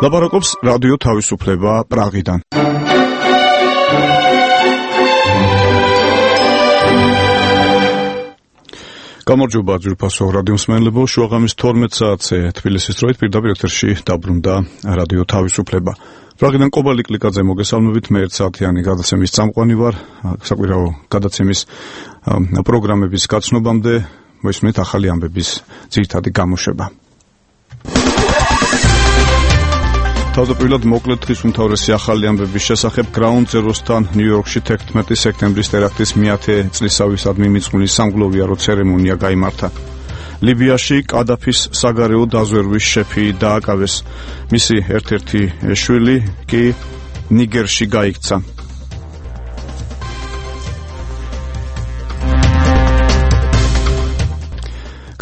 ლაპარაკობს რადიო თავისუფლება პრაღიდან. გამარჯობა ძვირფასო რადიო მსმენელებო, შუაღამის 12 საათზე თბილისის დროით პირდაპირ ეთერში დაბრუნდა რადიო თავისუფლება. პრაღიდან კობალი კლიკაძე მოგესალმებით, მე 1 საათიანი გადაცემის წამყვანი ვარ. საკვირაო გადაცემის პროგრამების გაცნობამდე მოისმენთ ახალი ამბების ძირითადი გამოშვება. თავდაპირველად მოკლედ დღის უმთავრესი ახალი ამბების შესახებ Ground Zero-სთან ნიუ-იორკში 11 სექტემბრის ტერაქტის 100 წლისავისადმი მიძღვნილი სამგლოვიარო ცერემონია გაიმართა. ლიბიაში კადაფის საგარეო დაზვერვის შეფი დააკავეს. მისი ერთ-ერთი შვილი კი ნიგერში გაიქცა.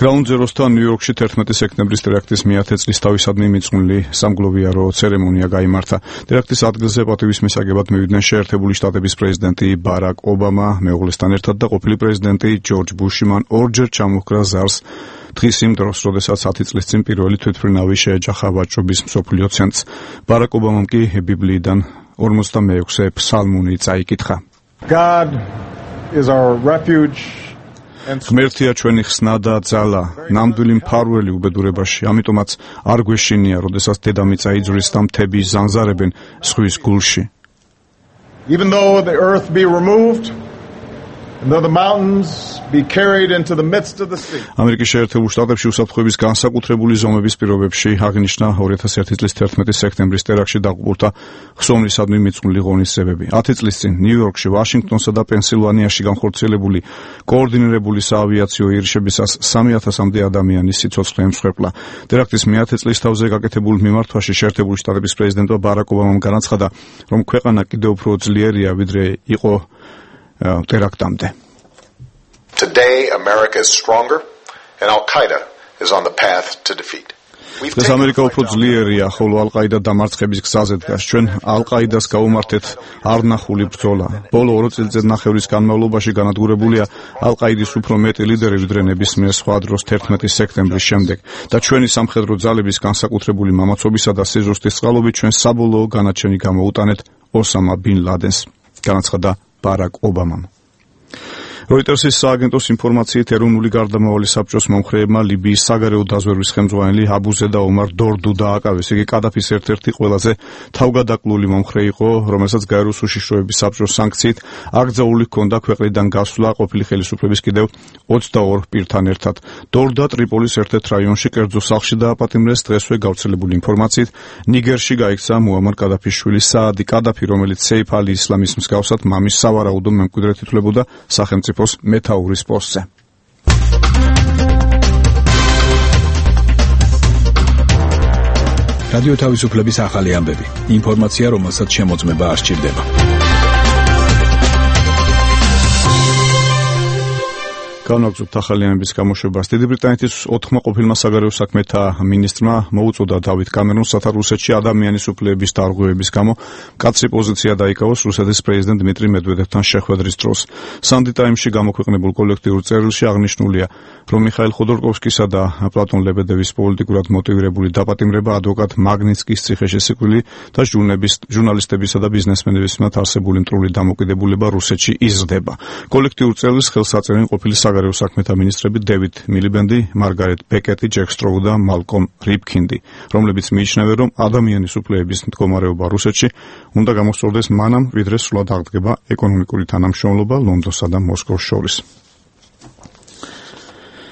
Ground Zero-სთან ნიუ-იორკში 11 სექტემბრის ტერაქტის 100 წლისთავისადმი მიძღვნილი სამგლოვიარო ცერემონია გაიმართა. ტერაქტის ადგილზე პატივის მისაგებად მივიდნენ შეერთებული შტატების პრეზიდენტი ბარაკ ობამა მეუღლესთან ერთად და ყოფილი პრეზიდენტი ჯორჯ ბუში. მან ორჯერ ჩამოჰკრა ზარს დღის იმ დროს, როდესაც 10 წლის წინ პირველი თვითმფრინავი შეეჯახა ვაჭრობის მსოფლიო ცენტრს. ბარაკ ობამამ კი ბიბლიიდან 46 ფსალმუნი წაიკითხა. God is our refuge. ღმერთია ჩვენი ხსნა და ძალა, ნამდვილი მფარველი უბედურებაში, ამიტომაც არ გვეშინია, როდესაც დედამიწა იძვრის და მთები ზანზარებენ ზღვის გულში. Even though the earth be removed, and though the mountains be carried into the midst of the sea. ამერიკის შეერთებულ შტატებში უსაფრთხოების განსაკუთრებული ზომების პირობებში აღნიშნა 2001 წლის 11 სექტემბრის ტერაქტში დაღუპულთა ხსოვნისადმი მიძღვნილი ღონისძიებები. 10 წლის წინ ნიუ-იორკში, ვაშინგტონსა და პენსილვანიაში განხორციელებული კოორდინირებული საავიაციო ირიშებისას 3000-მდე ადამიანის სიცოცხლე ემსხვერპლა. ტერაქტის 100 წლისთავზე გაკეთებულ მიმართვაში შეერთებული შტატების პრეზიდენტმა ბარაკ ობამამ განაცხადა, რომ ქვეყანა კიდევ უფრო ძლიერია, ვიდრე იყო ტერაქტამდე. Today America is stronger and Al-Qaeda is on the path to defeat. დღეს ამერიკა უფრო ძლიერია, ხოლო ალ-ყაიდა დამარცხების გზაზე დგას. ჩვენ ალ-ყაიდას გავუმართეთ არნახული ბრძოლა. ბოლო 2 წელიწადნახევრის განმავლობაში განადგურებულია ალ-ყაიდის უფრო მეტი ლიდერი, ვიდრე ნებისმიერ სხვა დროს 11 სექტემბრის შემდეგ და ჩვენი სამხედრო ძალების განსაკუთრებული მამაცობისა და სიზუსტის წყალობით ჩვენ საბოლოო განაჩენი გამოუტანეთ ოსამა ბინ ლადენს, განაცხადა ბარაკ ობამამ. Reutersის სააგენტოს ინფორმაციით ეროვნული გარდამავალი საბჭოს მომხრეებმა ლიბიის საგარეო დაზვერვის ხელმძღვანელი აბუზედა ომარ დორდუ დააკავეს. იგი კადაფის ერთ-ერთი ყველაზე თავგადაკლული მომხრე იყო, რომელსაც გაეროს უშიშროების საბჭოს სანქციით აკრძალული ჰქონდა ქვეყნიდან გასვლა ყოფილი ხელისუფლების კიდევ 22 პირთან ერთად. დორდა ტრიპოლის ერთ-ერთ რაიონში კერძო სახლში დააპატიმრეს. დღესვე გავრცელებული ინფორმაციით ნიგერში გაიქცა მუამარ კადაფის შვილი საადი კადაფი, რომელიც სეიფ ალი ისლამის მსგავსად მამის სავარაუდო მემკვიდრედ ითვლებოდა სახელმწიფო მეთაურის პოსტზე. რადიო თავისუფლების ახალი ამბები. ინფორმაცია, რომელსაც შემოწმება არ სჭირდება. განვაგრძობთ ახალი ამბების გამოშვებას. დიდი ბრიტანეთის 4 ყოფილმა საგარეო საქმეთა მინისტრმა მოუწოდა დავით კამერონს რუსეთში ადამიანის უფლებების დარღვევების გამო მკაცრი პოზიცია დაიკავოს რუსეთის პრეზიდენტ დმიტრი მედვედევთან შეხვედრის დროს. Sunday Times-ში გამოქვეყნებულ კოლექტიურ წერილში აღნიშნულია, რომ მიხაილ ხოდორკოვსკისა და პლატონ ლებედევის პოლიტიკურად მოტივირებული დაპატიმრება ადვოკატ მაგნიცკის ციხეშესიკვდილი და ჟურნალისტებისა და ბიზნესმენების მიმართ არსებული მტრული დამოკიდებულება რუსეთში იზრდება. კოლექტიურ წერილს ხელს აწერენ ყოფილი საგარეო საქმეთა მინისტრები დევიდ მილიბენდი, მარგარეტ ბეკეტი, ჯეკ სტროუ და მალკომ რიფქინდი, რომლებიც მიიჩნევენ, რომ ადამიანის უფლებების მდგომარეობა რუსეთში უნდა გამოსწორდეს მანამ, ვიდრე სრულად აღდგება ეკონომიკური თანამშრომლობა ლონდონსა და მოსკოვს შორის.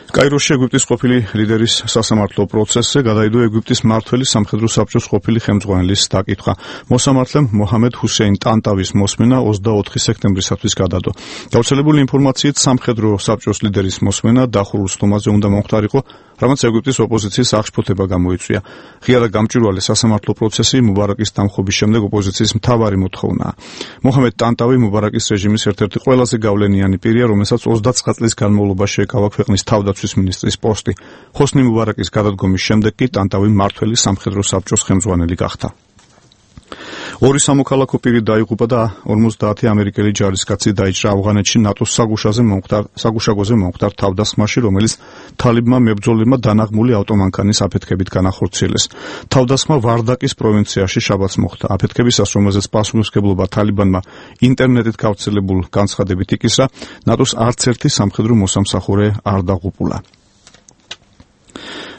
კაიროში ეგვიპტის ყოფილი ლიდერის სასამართლო პროცესზე გადაიდო ეგვიპტის მმართველი სამხედრო საბჭოს ყოფილი ხელმძღვანელის დაკითხვა. მოსამართლემ მოჰამედ ჰუსეინ ტანტავის მოსმენა 24 სექტემბრისათვის გადადო. გავრცელებული ინფორმაციით სამხედრო საბჭოს ლიდერის მოსმენა დახურულ სტომაზე უნდა მომხდარიყო, რამაც ეგვიპტის ოპოზიციის აღშფოთება გამოიწვია. ღია და გამჭვირვალე სასამართლო პროცესი მუბარაკის დამხობის შემდეგ ოპოზიციის მთავარი მოთხოვნაა. მოჰამედ ტანტავი მუბარაკის რეჟიმის ერთ-ერთი ყველაზე გავლენიანი პირია, რომელსაც 29 წლის განმავლობაში ეკავა ქვეყნის თავდაცვის მინისტრის პოსტი. ხოსნი მუბარაკის გადადგომის შემდეგ კი ტანტავი მმართველი სამხედრო საბჭოს ხელმძღვანელი გახდა. ორი სამოქალაქო პირი დაიღუპა და 50 ამერიკელი ჯარისკაცი დაიჭრა ავღანეთში ნატოს საგუშაგოზე მომხდარ თავდასხმაში, რომელიც თალიბმა მებრძოლებმა დანაღმული ავტომანქანის აფეთქებით განახორციელეს. თავდასხმა ვარდაკის პროვინციაში შაბათს მოხდა. აფეთქებისას, რომელზეც პასუხისმგებლობა თალიბანმა ინტერნეტით გავრცელებულ განცხადებით იკისრა, ნატოს არც ერთი სამხედრო მოსამსახურე არ დაღუპულა.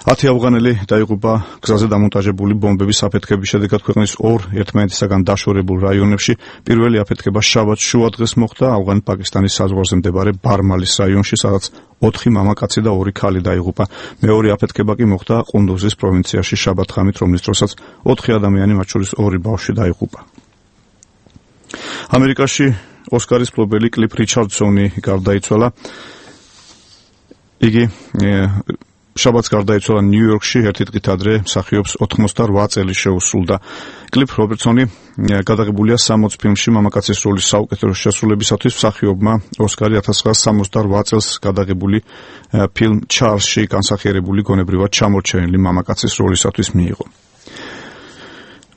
10 ავღანელი დაიღუპა გზაზე დამონტაჟებული ბომბების აფეთქების შედეგად ქვეყნის ორ ერთმანეთისაგან დაშორებულ რაიონებში. პირველი აფეთქება შაბათს შუადღეს მოხდა ავღან-პაკისტანის საზღვარზე მდებარე ბარმალის რაიონში, სადაც 4 მამაკაცი და 2 ქალი დაიღუპა. მეორე აფეთქება კი მოხდა ყუნდუზის პროვინციაში შაბათ-ღამით, რომლის დროსაც 4 ადამიანი, მათ შორის 2 ბავშვი დაიღუპა. ამერიკაში ოსკარის მფლობელი კლიფ რიჩარდსონი გარდაიცვალა. იგი შაბათს გარდაიცვალა ნიუ-იორკში, ერთი დღით ადრე მსახიობს 88 წელი შეუსრულდა. კლიფ რობერტსონი გადაღებულია 60 ფილმში მამაკაცის როლის საუკეთესო შესრულებისათვის. მსახიობმა ოსკარი 1968 წელს გადაღებული ფილმ ჩარლზში განსახიერებული გონებრივად ჩამორჩენილი მამაკაცის როლისათვის მიიღო.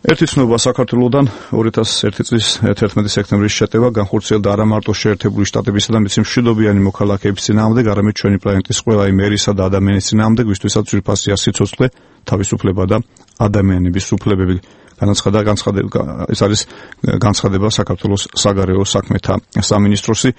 ერთი ცნობა საქართველოსთან 2001 წლის 11 სექტემბრის შეტევა განხორციელდა არა მარტო შეერთებული შტატებისა და მის მშვიდობიანი მოქალაქეების წინააღმდეგ, არამედ ჩვენი პლანეტის ყველა იმ ერისა და ადამიანის წინააღმდეგ, ვისთვისაც ძვირფასია სიცოცხლე, თავისუფლება და ადამიანების უფლებები. ეს არის განცხადება საქართველოს საგარეო საქმეთა სამინისტროსი.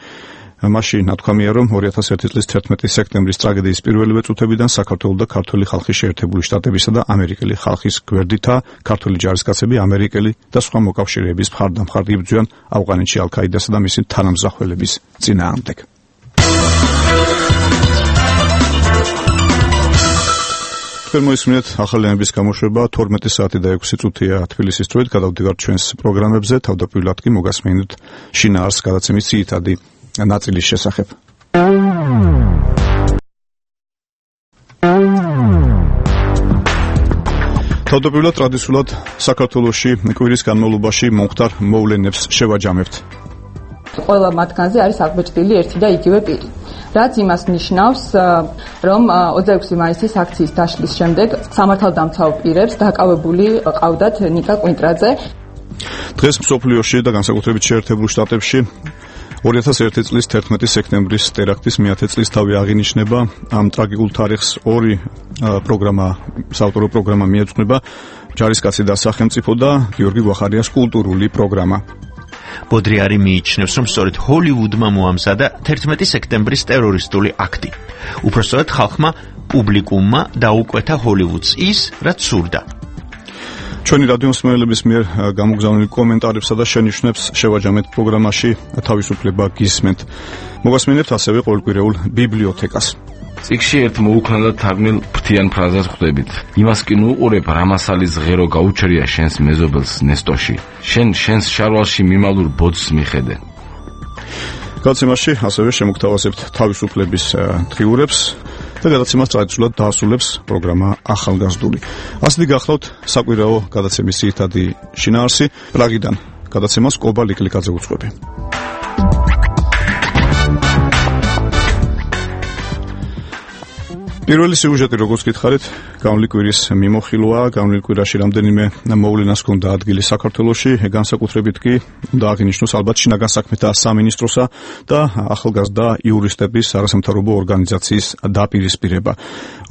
მასში ნათქვამია, რომ 2001 წლის 11 სექტემბრის ტრაგედიის პირველივე წუთებიდან საქართველოს და ქართული ხალხის შეერთებული შტატებისა და ამერიკელი ხალხის გვერდითა ქართული ჯარისკაცები ამერიკელი და სხვა მოკავშირეების მხარდამხარ იბრძვიან ავღანეთში ალ-ქაიდასა და მისი თანამზრახველების წინააღმდეგ. მოისმინეთ ახალი ამბის გამოშვება 12 საათი და 6 წუთია თბილისის დროით. გადავდივართ ჩვენს პროგრამებზე, თავდაპირველად კი მოგასმენთ შინაარსს გადაცემის ძირითადი ნაწილის შესახებ. თავდაპირველად ტრადიციულად საქართველოში კვირის განმავლობაში მომხდარ მოვლენებს შევაჯამებთ. ყველა მათგანზე არის აღბეჭდილი ერთი და იგივე პირი. რაც იმას ნიშნავს, რომ 26 მაისის აქციის დაშლის შემდეგ სამართალდამცავ პირებს დაკავებული ყავდათ ნიკა კვინტრაძე. დღეს მსოფლიოში და განსაკუთრებით შეერთებულ შტატებში 2001 წლის 11 სექტემბრის ტერაქტის 100 წლისთავი აღინიშნება. ამ ტრაგიკულ თარიღს ორი საავტორო პროგრამა მიეძღვნება: ჯარისკაცი და სახელმწიფო და გიორგი გვახარიას კულტურული პროგრამა. ბოდრიარი მიიჩნევს, რომ სწორედ ჰოლივუდმა მოამზადა 11 სექტემბრის ტერორისტული აქტი. უпростоრად ხალხმა, პუბლიკუმმა დაუკვეთა ჰოლივუდს ის, რაც სურდა. ჩვენი რადიომსმენელების მიერ გამოგზავნილი კომენტარებსა და შენიშვნებს შევაჯამეთ პროგრამაში თავისუფლება გისმენთ. მოგასმენებთ ასევე ყოველკვირეულ ბიბლიოთეკას. წიგნში ერთ მოუქნელად თარგმნილ ფრთიან ფრაზას ხვდებით. იმას კი ნუ უყურებ, რამასალის ღერო გაუჩერია შენს მეზობელს ნესტოში. შენს შარვალში მიმალურ ბოძს მიხედე. გადაცემაში ასევე შემოგთავაზებთ თავისუფლების დღიურებს და გადაცემას ტრადიციულად დაასრულებს პროგრამა ახალგაზრდული. ასეთი გახლავთ საკვირაო გადაცემის ძირითადი შინაარსი. პრაღიდან გადაცემას კობა ლიკლიკაძე უძღვები. პირველი სიუჟეტი, როგორც გითხარით, განვლილი კვირის მიმოხილვაა. განვლილ კვირაში რამდენიმე მოვლენას ჰქონდა ადგილი საქართველოში, განსაკუთრებით კი უნდა აღინიშნოს ალბათ შინაგან საქმეთა სამინისტროსა და ახალგაზრდა იურისტების არასამთავრობო ორგანიზაციის დაპირისპირება.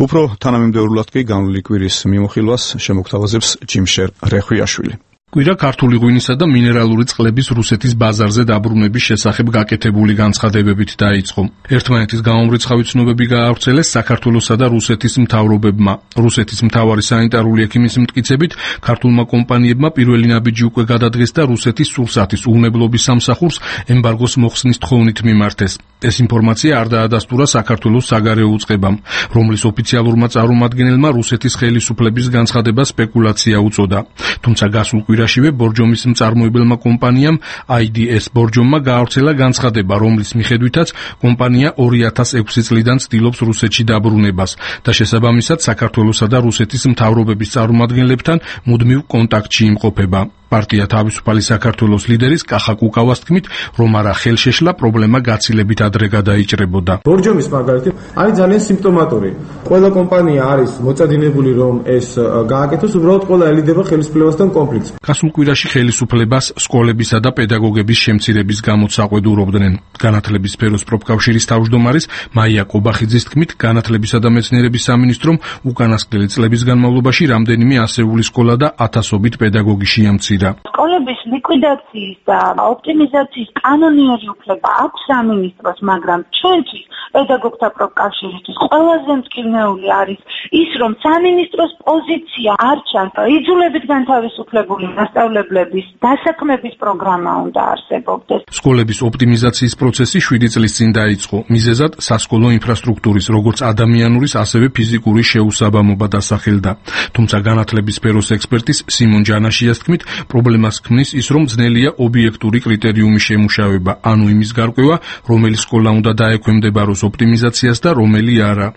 უფრო თანამიმდევრულად კი განვლილი კვირის მიმოხილვას შემოგთავაზებს ჯიმშერ რეხვიაშვილი. კვირა ქართული ღვინისა და მინერალური წყლების რუსეთის ბაზარზე დაბრუნების შესახებ გაკეთებული განცხადებებით დაიწყო. ერთმანეთის გამომრიცხავი ცნობები გაავრცელეს საქართველოსა და რუსეთის მთავრობებმა. რუსეთის მთავარი სანიტარული ექიმის მტკიცებით, ქართულმა კომპანიებმა პირველი ნაბიჯი უკვე გადადგეს და რუსეთის სულსათის უვნებლობის სამსახურს ემბარგოს მოხსნის თხოვნით მიმართეს. ეს ინფორმაცია არ დაადასტურა საქართველოს საგარეო უწყებამ, რომლის ოფიციალურმა წარმომადგენელმა რუსეთის ხელისუფლების განცხადება სპეკულაცია უწოდა. თუმცა გასულ კვირაშივე ბორჯომის მწარმოებელმა კომპანიამ IDS ბორჯომმა გაავრცელა განცხადება, რომლის მიხედვითაც კომპანია 2006 წლიდან ცდილობს რუსეთში დაბრუნებას და შესაბამისად საქართველოსა და რუსეთის მთავრობების წარმომადგენლებთან მუდმივ კონტაქტში იმყოფება. პარტია თავისუფალი საქართველოს ლიდერის კახა კუკავას თქმით, რომ არა ხელშეშლა პრობლემა გაცილებით ადრე გადაიჭრებოდა. ბორჯომის მაგალითი არის ძალიან სიმპტომატური. ყველა კომპანია არის მოწადინებული, რომ ეს გააკეთოს, უბრალოდ ყველა ელიდება ხელისუფლებასთან კონფლიქტს. გასულ კვირაში ხელისუფლებას სკოლებისა და პედაგოგების შემცირების გამოც აყვედურობდნენ. განათლების სფეროს პროფკავშირის თავმჯდომარის მაია კობახიძის თქმით, განათლებისა და მეცნიერების სამინისტრომ უკანასკნელი წლების განმავლობაში რამდენიმე ასეული სკოლა და ათასობით პედაგოგი შეამცირა. სკოლების ლიკვიდაციის და ოპტიმიზაციის კანონიერი უფლება აქვს სამინისტროს, მაგრამ ჩვენთვის პედაგოგთა პროფკავშირისთვის ყველაზე მწკივნეული არის ის, რომ სამინისტროს პოზიცია არ ჩანს. იძულებით განთავისუფლებული მასწავლებლების დასაქმების პროგრამა უნდა არსებობდეს. სკოლების ოპტიმიზაციის პროცესი 7 წლის წინ დაიწყო. მიზეზად სასკოლო ინფრასტრუქტურის, როგორც ადამიანურის, ასევე ფიზიკური შეუსაბამობა დასახელდა. თუმცა განათლების სფეროს ექსპერტის სიმონ ჯანაშიას თქმით, პრობლემას ქმნის ის, რომ ძნელია ობიექტური კრიტერიუმის შემუშავება, ანუ იმის გარკვევა, რომელი სკოლა უნდა დაექვემდებაროს ოპტიმიზაციას და რომელი არა.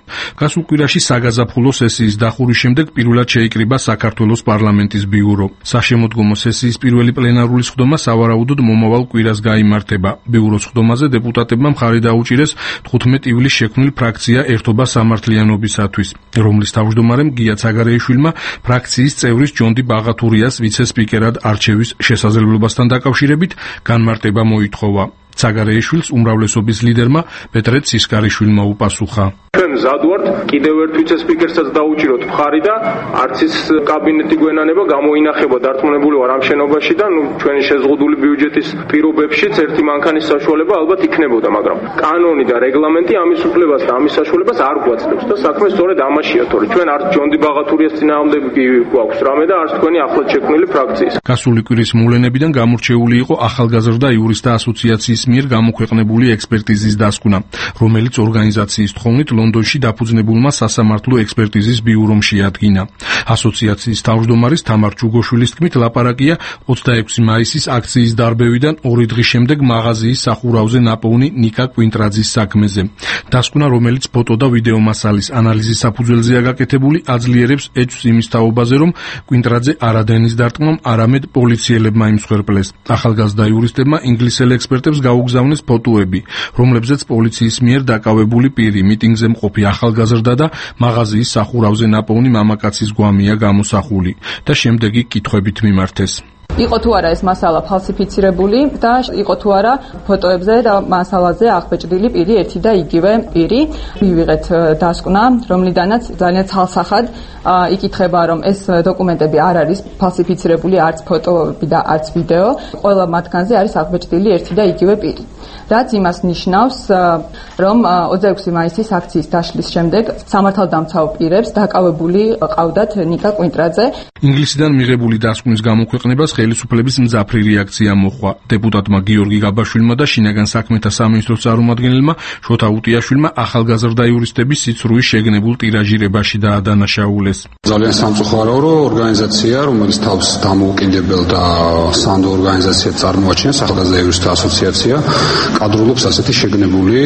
გასულ კვირაში საგაზაფხულო სესიის დახურის შემდეგ პირველად შეიკრიბა საქართველოს პარლამენტის ბიურო. საშემოდგომო სესიის პირველი პლენარული სხდომა სავარაუდოდ მომავალ კვირას გაიმართება. ბიუროს სხდომაზე დეპუტატებმა მხარი დაუჭირეს 15 ივლისს შექმნილ ფრაქცია ერთობა სამართლიანობისათვის, რომლის თავმჯდომარემ გია ცაგარეიშვილმა ფრაქციის წევრის ჯონდი ბაღათურიას ვიცე-სპიკერად არჩევის შესაძლებლობასთან დაკავშირებით განმარტება მოითხოვა. ცაგარეიშვილს უმრავლესობის ლიდერმა პეტრე ცისკარიშვილმა უპასუხა. ჩვენ მზად ვართ კიდევ ერთ ვიცე-სპიკერსაც დაუჭიროთ მხარი და არც ის კაბინეტი გვენანება გამოინახება დარწმუნებული ვარ ამ შენობაში და ჩვენი შეზღუდული ბიუჯეტის პირობებშიც ერთი მანქანის საშუალება ალბათ იქნებოდა, მაგრამ კანონი და რეგლამენტი ამის უფლებას და ამის საშუალებას არ გვაძლევს და საქმე სწორედ ამაშია, თორე ჩვენ არც ჯონდი ბაღათურიას წინააღმდეგი გვაქვს რამე და არც თქვენი ახლად შექმნილი ფრაქციის. გასული კვირის მოვლენებიდან გამორჩეული იყო ახალგაზრდა იურისტთა ასოციაციის მიერ გამოქვეყნებული ექსპერტიზის დასკვნა, რომელიც ორგანიზაციის თხოვნით ლონდონში დაფუძნებულმა სასამართლო ექსპერტიზის ბიურომ შეადგინა. ასოციაციის თავმჯდომარის თამარ ჯუგოშვილის თქმით, ლაპარაკია 26 მაისის აქციის დარბევიდან 2 დღის შემდეგ მაღაზიის სახურავზე ნაპოვნი ნიკა კვინტრაძის საქმეზე. დასკვნა, რომელიც ფოტო და ვიდეო მასალის ანალიზის საფუძველზეა გაკეთებული, აძლიერებს ეჭვს იმის თაობაზე, რომ კვინტრაძე არადენის დარტყმამ არამედ პოლიციელებმა იმსხვერპლეს. ახალგაზრდა იურისტებმა ინგლისელ ექსპერტებს გაუგზავნეს ფოტოები, რომლებზეც პოლიციის მიერ დაკავებული პირი, მიტინგზე მყოფი ახალგაზრდა და მაღაზიის სახურავზე ნაპოვნი მამაკაცის გვამია გამოსახული და შემდეგი კითხვებით მიმართეს. იყო თუ არა ეს მასალა ფალსიფიცირებული და იყო თუ არა ფოტოებზე და მასალაზე აღბეჭდილი პირი ერთი და იგივე პირი. მივიღეთ დასკვნა, რომლიდანაც ძალიან ცალსახად იკითხება, რომ ეს დოკუმენტები არ არის ფალსიფიცირებული, არც ფოტოები და არც ვიდეო. ყველა მათგანზე არის აღბეჭდილი ერთი და იგივე პირი. რაც იმას ნიშნავს, რომ 26 მაისის აქციის დაშლის შემდეგ სამართალდამცავ პირებს დაკავებული ყავდათ ნიკა კვინტრაძე. ინგლისიდან მიღებული დასკვნის გამოქვეყნებას ხელისუფლების მძაფრი რეაქცია მოჰყვა. დეპუტატმა გიორგი გაბაშვილმა და შინაგან საქმეთა სამინისტროს წარმომადგენელმა შოთა უტიაშვილმა ახალგაზრდა იურისტების სიცრუის შეგნებულ ტირაჟირებაში დაადანაშაულეს. ძალიან სამწუხაროა, რომ ორგანიზაცია, რომელიც თავს დამოუკიდებელ და სანდო ორგანიზაციად წარმოაჩენს, ახალგაზრდა იურისტთა ასოციაცია, კადრულობს ასეთი შეგნებული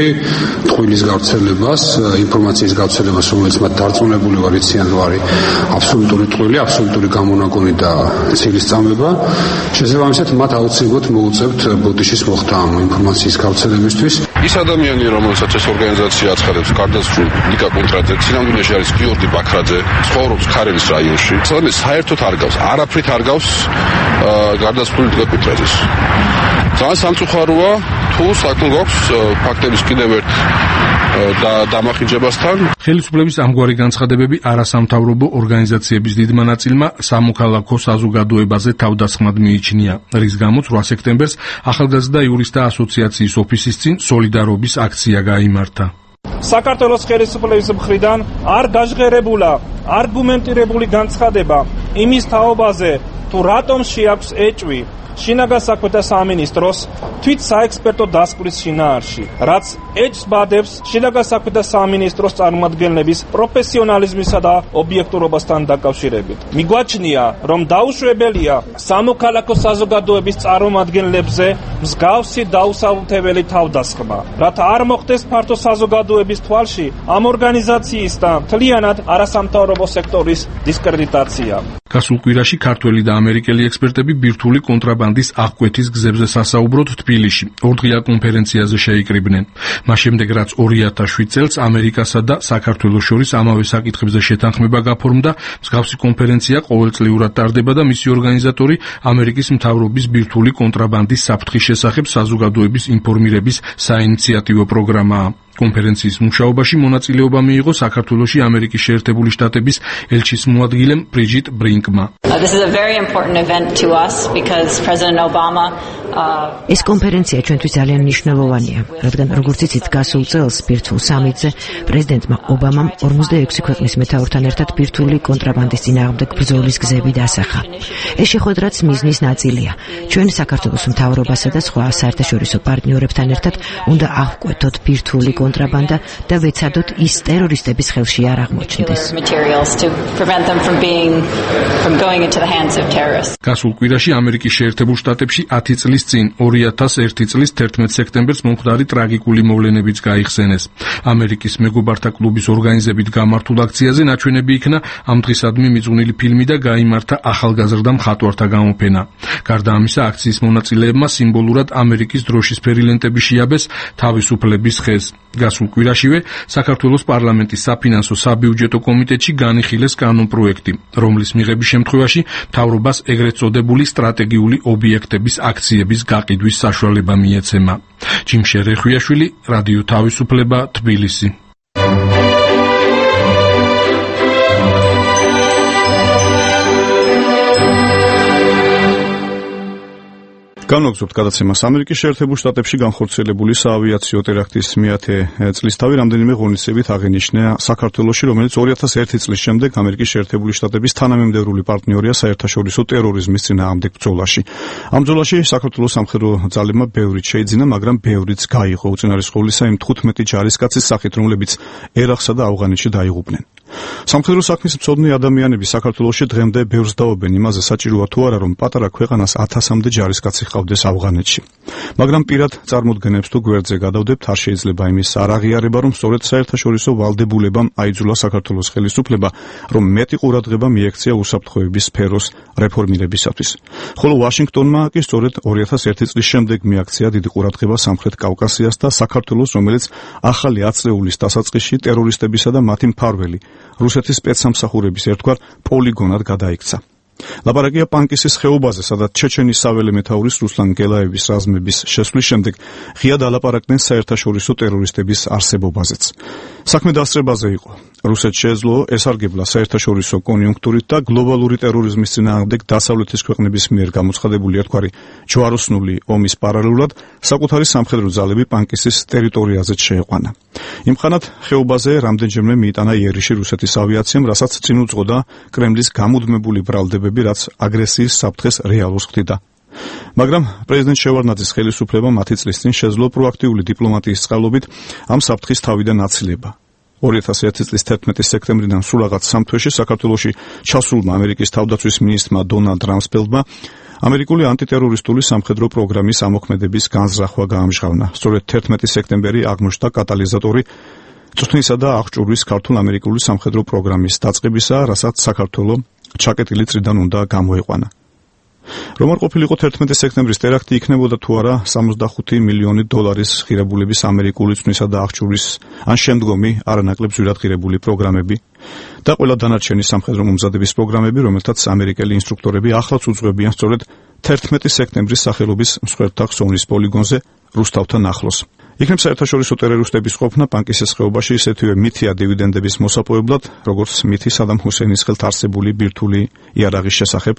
ტყუილის გავრცელებას, ინფორმაციის გავრცელებას, რომელიც მათ დარწმუნებული ვარ იციან, რომ არის აბსოლუტური ტყუილი, აბსოლუტური გამონაგონი და ცილისწამება. შესაბამისად, მათ აუცილებლად მოუწევთ ბოდიშის მოხდა ამ ინფორმაციის გავრცელებისთვის. ის ადამიანი, რომელსაც ეს ორგანიზაცია აცხადებს, გარდაცვლილ ნიკა კვინტრაძე, წინამძღოლში არის გიორგი ბაქრაძე, ცხოვრობს ქარელის რაიონში. სადაც საერთოდ არ გავს, არაფრით არ გავს გარდაცვლილ ნიკა კვინტრაძეს. ძალიან სამწუხაროა, თუ საქმე გვაქვს ფაქტების კიდევ ერთ დამახინჯებასთან. ხელისუფლების ამგვარი განცხადებები არასამთავრობო ორგანიზაციების დიდმა ნაწილმა სამოქალაქო საზოგადოებაზე თავდასხმად მიიჩნია, რის გამოც 8 სექტემბერს ახალგაზრდა იურისტთა ასოციაციის ოფისის წინ სოლიდარობის აქცია გაიმართა. საქართველოს ხელისუფლების მხრიდან არ გაჟღერებულა არგუმენტირებული განცხადება იმის თაობაზე, თუ რატომ შეაქვს ეჭვი შინაგან საქმეთა სამინისტროს თვით საექსპერტო დასკვრის შინაარსში, რაც ეჭვს ბადებს შინაგან საქმეთა სამინისტროს წარმომადგენლების პროფესიონალიზმისა და ობიექტურობასთან დაკავშირებით. მიგვაჩნია, რომ დაუშვებელია სამოქალაქო საზოგადოების წარმომადგენლებზე მსგავსი დაუსაბუთებელი თავდასხმა, რათა არ მოხდეს ფართო საზოგადოების თვალში ამ ორგანიზაციის და მთლიანად არასამთავრობო სექტორის დისკრედიტაცია. გასულ კვირაში ქართველი და ამერიკელი ექსპერტები ბირთვული კონტრაბანდის აღკვეთის გზებზე სასაუბროდ თბილისში ორდღია კონფერენციაზე შეიკრიბნენ. მას შემდეგ, რაც 2007 წელს ამერიკასა და საქართველოს შორის ამავე საკითხებზე შეთანხმება გაფორმდა, მსგავსი კონფერენცია ყოველწლიურად ტარდება და მისი ორგანიზატორი ამერიკის მთავრობის ბირთვული კონტრაბანდის საფრთხის შესახებ საზოგადოების ინფორმირების საინიციატივო პროგრამაა. კონფერენციის მუშაობაში მონაწილეობა მიიღო საქართველოში ამერიკის შეერთებული შტატების ელჩის მოადგილემ ბრიჯიტ ბრინკმა. ეს კონფერენცია ჩვენთვის ძალიან მნიშვნელოვანია, რადგან როგორც იცით, გასულ წელს ბირთვულ სამიტზე პრეზიდენტმა ობამამ 46 ქვეყნის მეთაურთან ერთად ბირთვული კონტრაბანდის წინააღმდეგ ბრძოლის გზები დასახა. ეს შეხვედრაც მიზნის ნაწილია. ჩვენ საქართველოს მთავრობასა და სხვა საერთაშორისო პარტნიორებთან ერთად უნდა აღკვეთოთ ბირთვული კონტრაბანდა და ვეცადოთ ის ტერორისტების ხელში არ აღმოჩნდეს. გასულ კვირაში ამერიკის შეერთებულ შტატებში 10 წლის წინ 2001 წლის 11 სექტემბერს მომხდარი ტრაგიკული მოვლენებიც გაიხსენეს. ამერიკის მეგობართა კლუბის ორგანიზებით გამართულ აქციაზე ნაჩვენები იქნა ამ დღისადმი მიძღვნილი ფილმი და გაიმართა ახალგაზრდა მხატვართა გამოფენა. გარდა ამისა, აქციის მონაწილეებმა სიმბოლურად ამერიკის დროშისფერი ლენტები შეაბეს თავისუფლების ხეს. გასულ კვირაშივე საქართველოს პარლამენტის საფინანსო საბიუჯეტო კომიტეტში განიხილეს კანონპროექტი, რომლის მიღების შემთხვევაში მთავრობას ეგრეთ წოდებული სტრატეგიული ობიექტების აქციების გაყიდვის საშუალება მიეცემა. ჯიმშე რეხვიაშვილი, რადიო თავისუფლება, თბილისი. განვაგრძობთ გადაცემას. ამერიკის შეერთებულ შტატებში განხორციელებული საავიაციო ტერაქტის მეათე წლისთავი რამდენიმე ღონისძიებით აღინიშნა საქართველოში, რომელიც 2001 წლის შემდეგ ამერიკის შეერთებული შტატების თანამემდევრული პარტნიორია საერთაშორისო ტერორიზმის წინააღმდეგ ბრძოლაში. ამ ბრძოლაში საქართველოს სამხედრო ძალებმა ბევრიც შეიძინა, მაგრამ ბევრიც გაიღო, უწინარესყოვლისა იმ 15 ჯარისკაცის სახით, რომლებიც ერაყსა და ავღანეთში დაიღუპნენ. სამხედრო საქმის მცოდნე ადამიანები საქართველოში დღემდე ბევრს დაობენ იმაზე, საჭიროა თუ არა, რომ პატარა ქვეყანას 1000-მდე ჯარისკაცი ჰყავდეს ავღანეთში. მაგრამ პირად წარმოდგენებს თუ გვერდზე გადავდებთ, არ შეიძლება იმის არ აღიარება, რომ სწორედ საერთაშორისო ვალდებულებამ აიძულა საქართველოს ხელისუფლება, რომ მეტი ყურადღება მიექცია უსაფრთხოების სფეროს რეფორმირებისათვის. ხოლო ვაშინგტონმა კი სწორედ 2001 წლის შემდეგ მიაქცია დიდი ყურადღება სამხრეთ კავკასიას და საქართველოს, რომელიც ახალი აწეულის დასაწყისში ტერორისტებისა და მათი მფარველი რუსეთის სპეცსამსახურების ერთგვარ პოლიგონად გადაიქცა. ლაპარაკია პანკისის ხეობაზე, სადაც ჩეჩენის საველე მეთაურის რუსლან გელაევის რაზმების შესვლის შემდეგ ღიად ალაპარაკდნენ საერთაშორისო ტერორისტების არსებობაზეც. საქმე დასწრებაზე იყო. რუსეთს შეეძლო ესარგებლა საერთაშორისო კონიუნქტურით და გლობალური ტერორიზმის წინააღმდეგ დასავლეთის ქვეყნების მიერ გამოცხადებული ერთგვარი ჯვაროსნული ომის პარალელურად საკუთარი სამხედრო ძალები პანკისის ტერიტორიაზეც შეეყვანა. იმხანად ხეობაზე რამდენჯერმე მიიტანა იერიში რუსეთის ავიაციამ, რასაც წინ უძღოდა კრემლის გამუდმებული ბრალდებები, რაც აგრესიის საფრთხეს რეალურს ხდიდა. მაგრამ პრეზიდენტ შევარდნაძის ხელისუფლებამ 10 წლის წინ შეძლო პროაქტიული დიპლომატიის წყალობით ამ საფრთხის თავიდან აცილება. 2001 წლის 11 სექტემბრიდან სულ რაღაც 3 თვეში საქართველოში ჩასულმა ამერიკის თავდაცვის მინისტრმა დონალდ რამსფელდმა ამერიკული ანტიტერორისტული სამხედრო პროგრამის ამოქმედების განზრახვა გაამჟღავნა. სწორედ 11 სექტემბერი აღმოჩნდა კატალიზატორი წვრთნისა და აღჭურვის ქართულ-ამერიკული სამხედრო პროგრამის დაწყებისა, რასაც საქართველო ჩაკეტილი წრიდან უნდა გამოეყვანა. რომ არ ყოფილიყო 11 სექტემბრის ტერაქტი, იქნებოდა თუ არა 65 მილიონი დოლარის ღირებულების ამერიკული წვრთნისა და აღჭურვის ან შემდგომი არანაკლებ ძვირად ღირებული პროგრამები და ყველა დანარჩენი სამხედრო მომზადების პროგრამები, რომელთაც ამერიკელი ინსტრუქტორები ახლაც უძღვებიან სწორედ 11 სექტემბრის სახელობის მსხვერპლთა ხსოვნის პოლიგონზე რუსთავთან ახლოს. იქნებ საერთაშორისო ტერორისტების ყოფნა პანკისის ხეობაში ისეთივე მითია დივიდენდების მოსაპოვებლად, როგორც მითი სადამ ჰუსეინის ხელთ არსებული ბირთვული იარაღის შესახებ.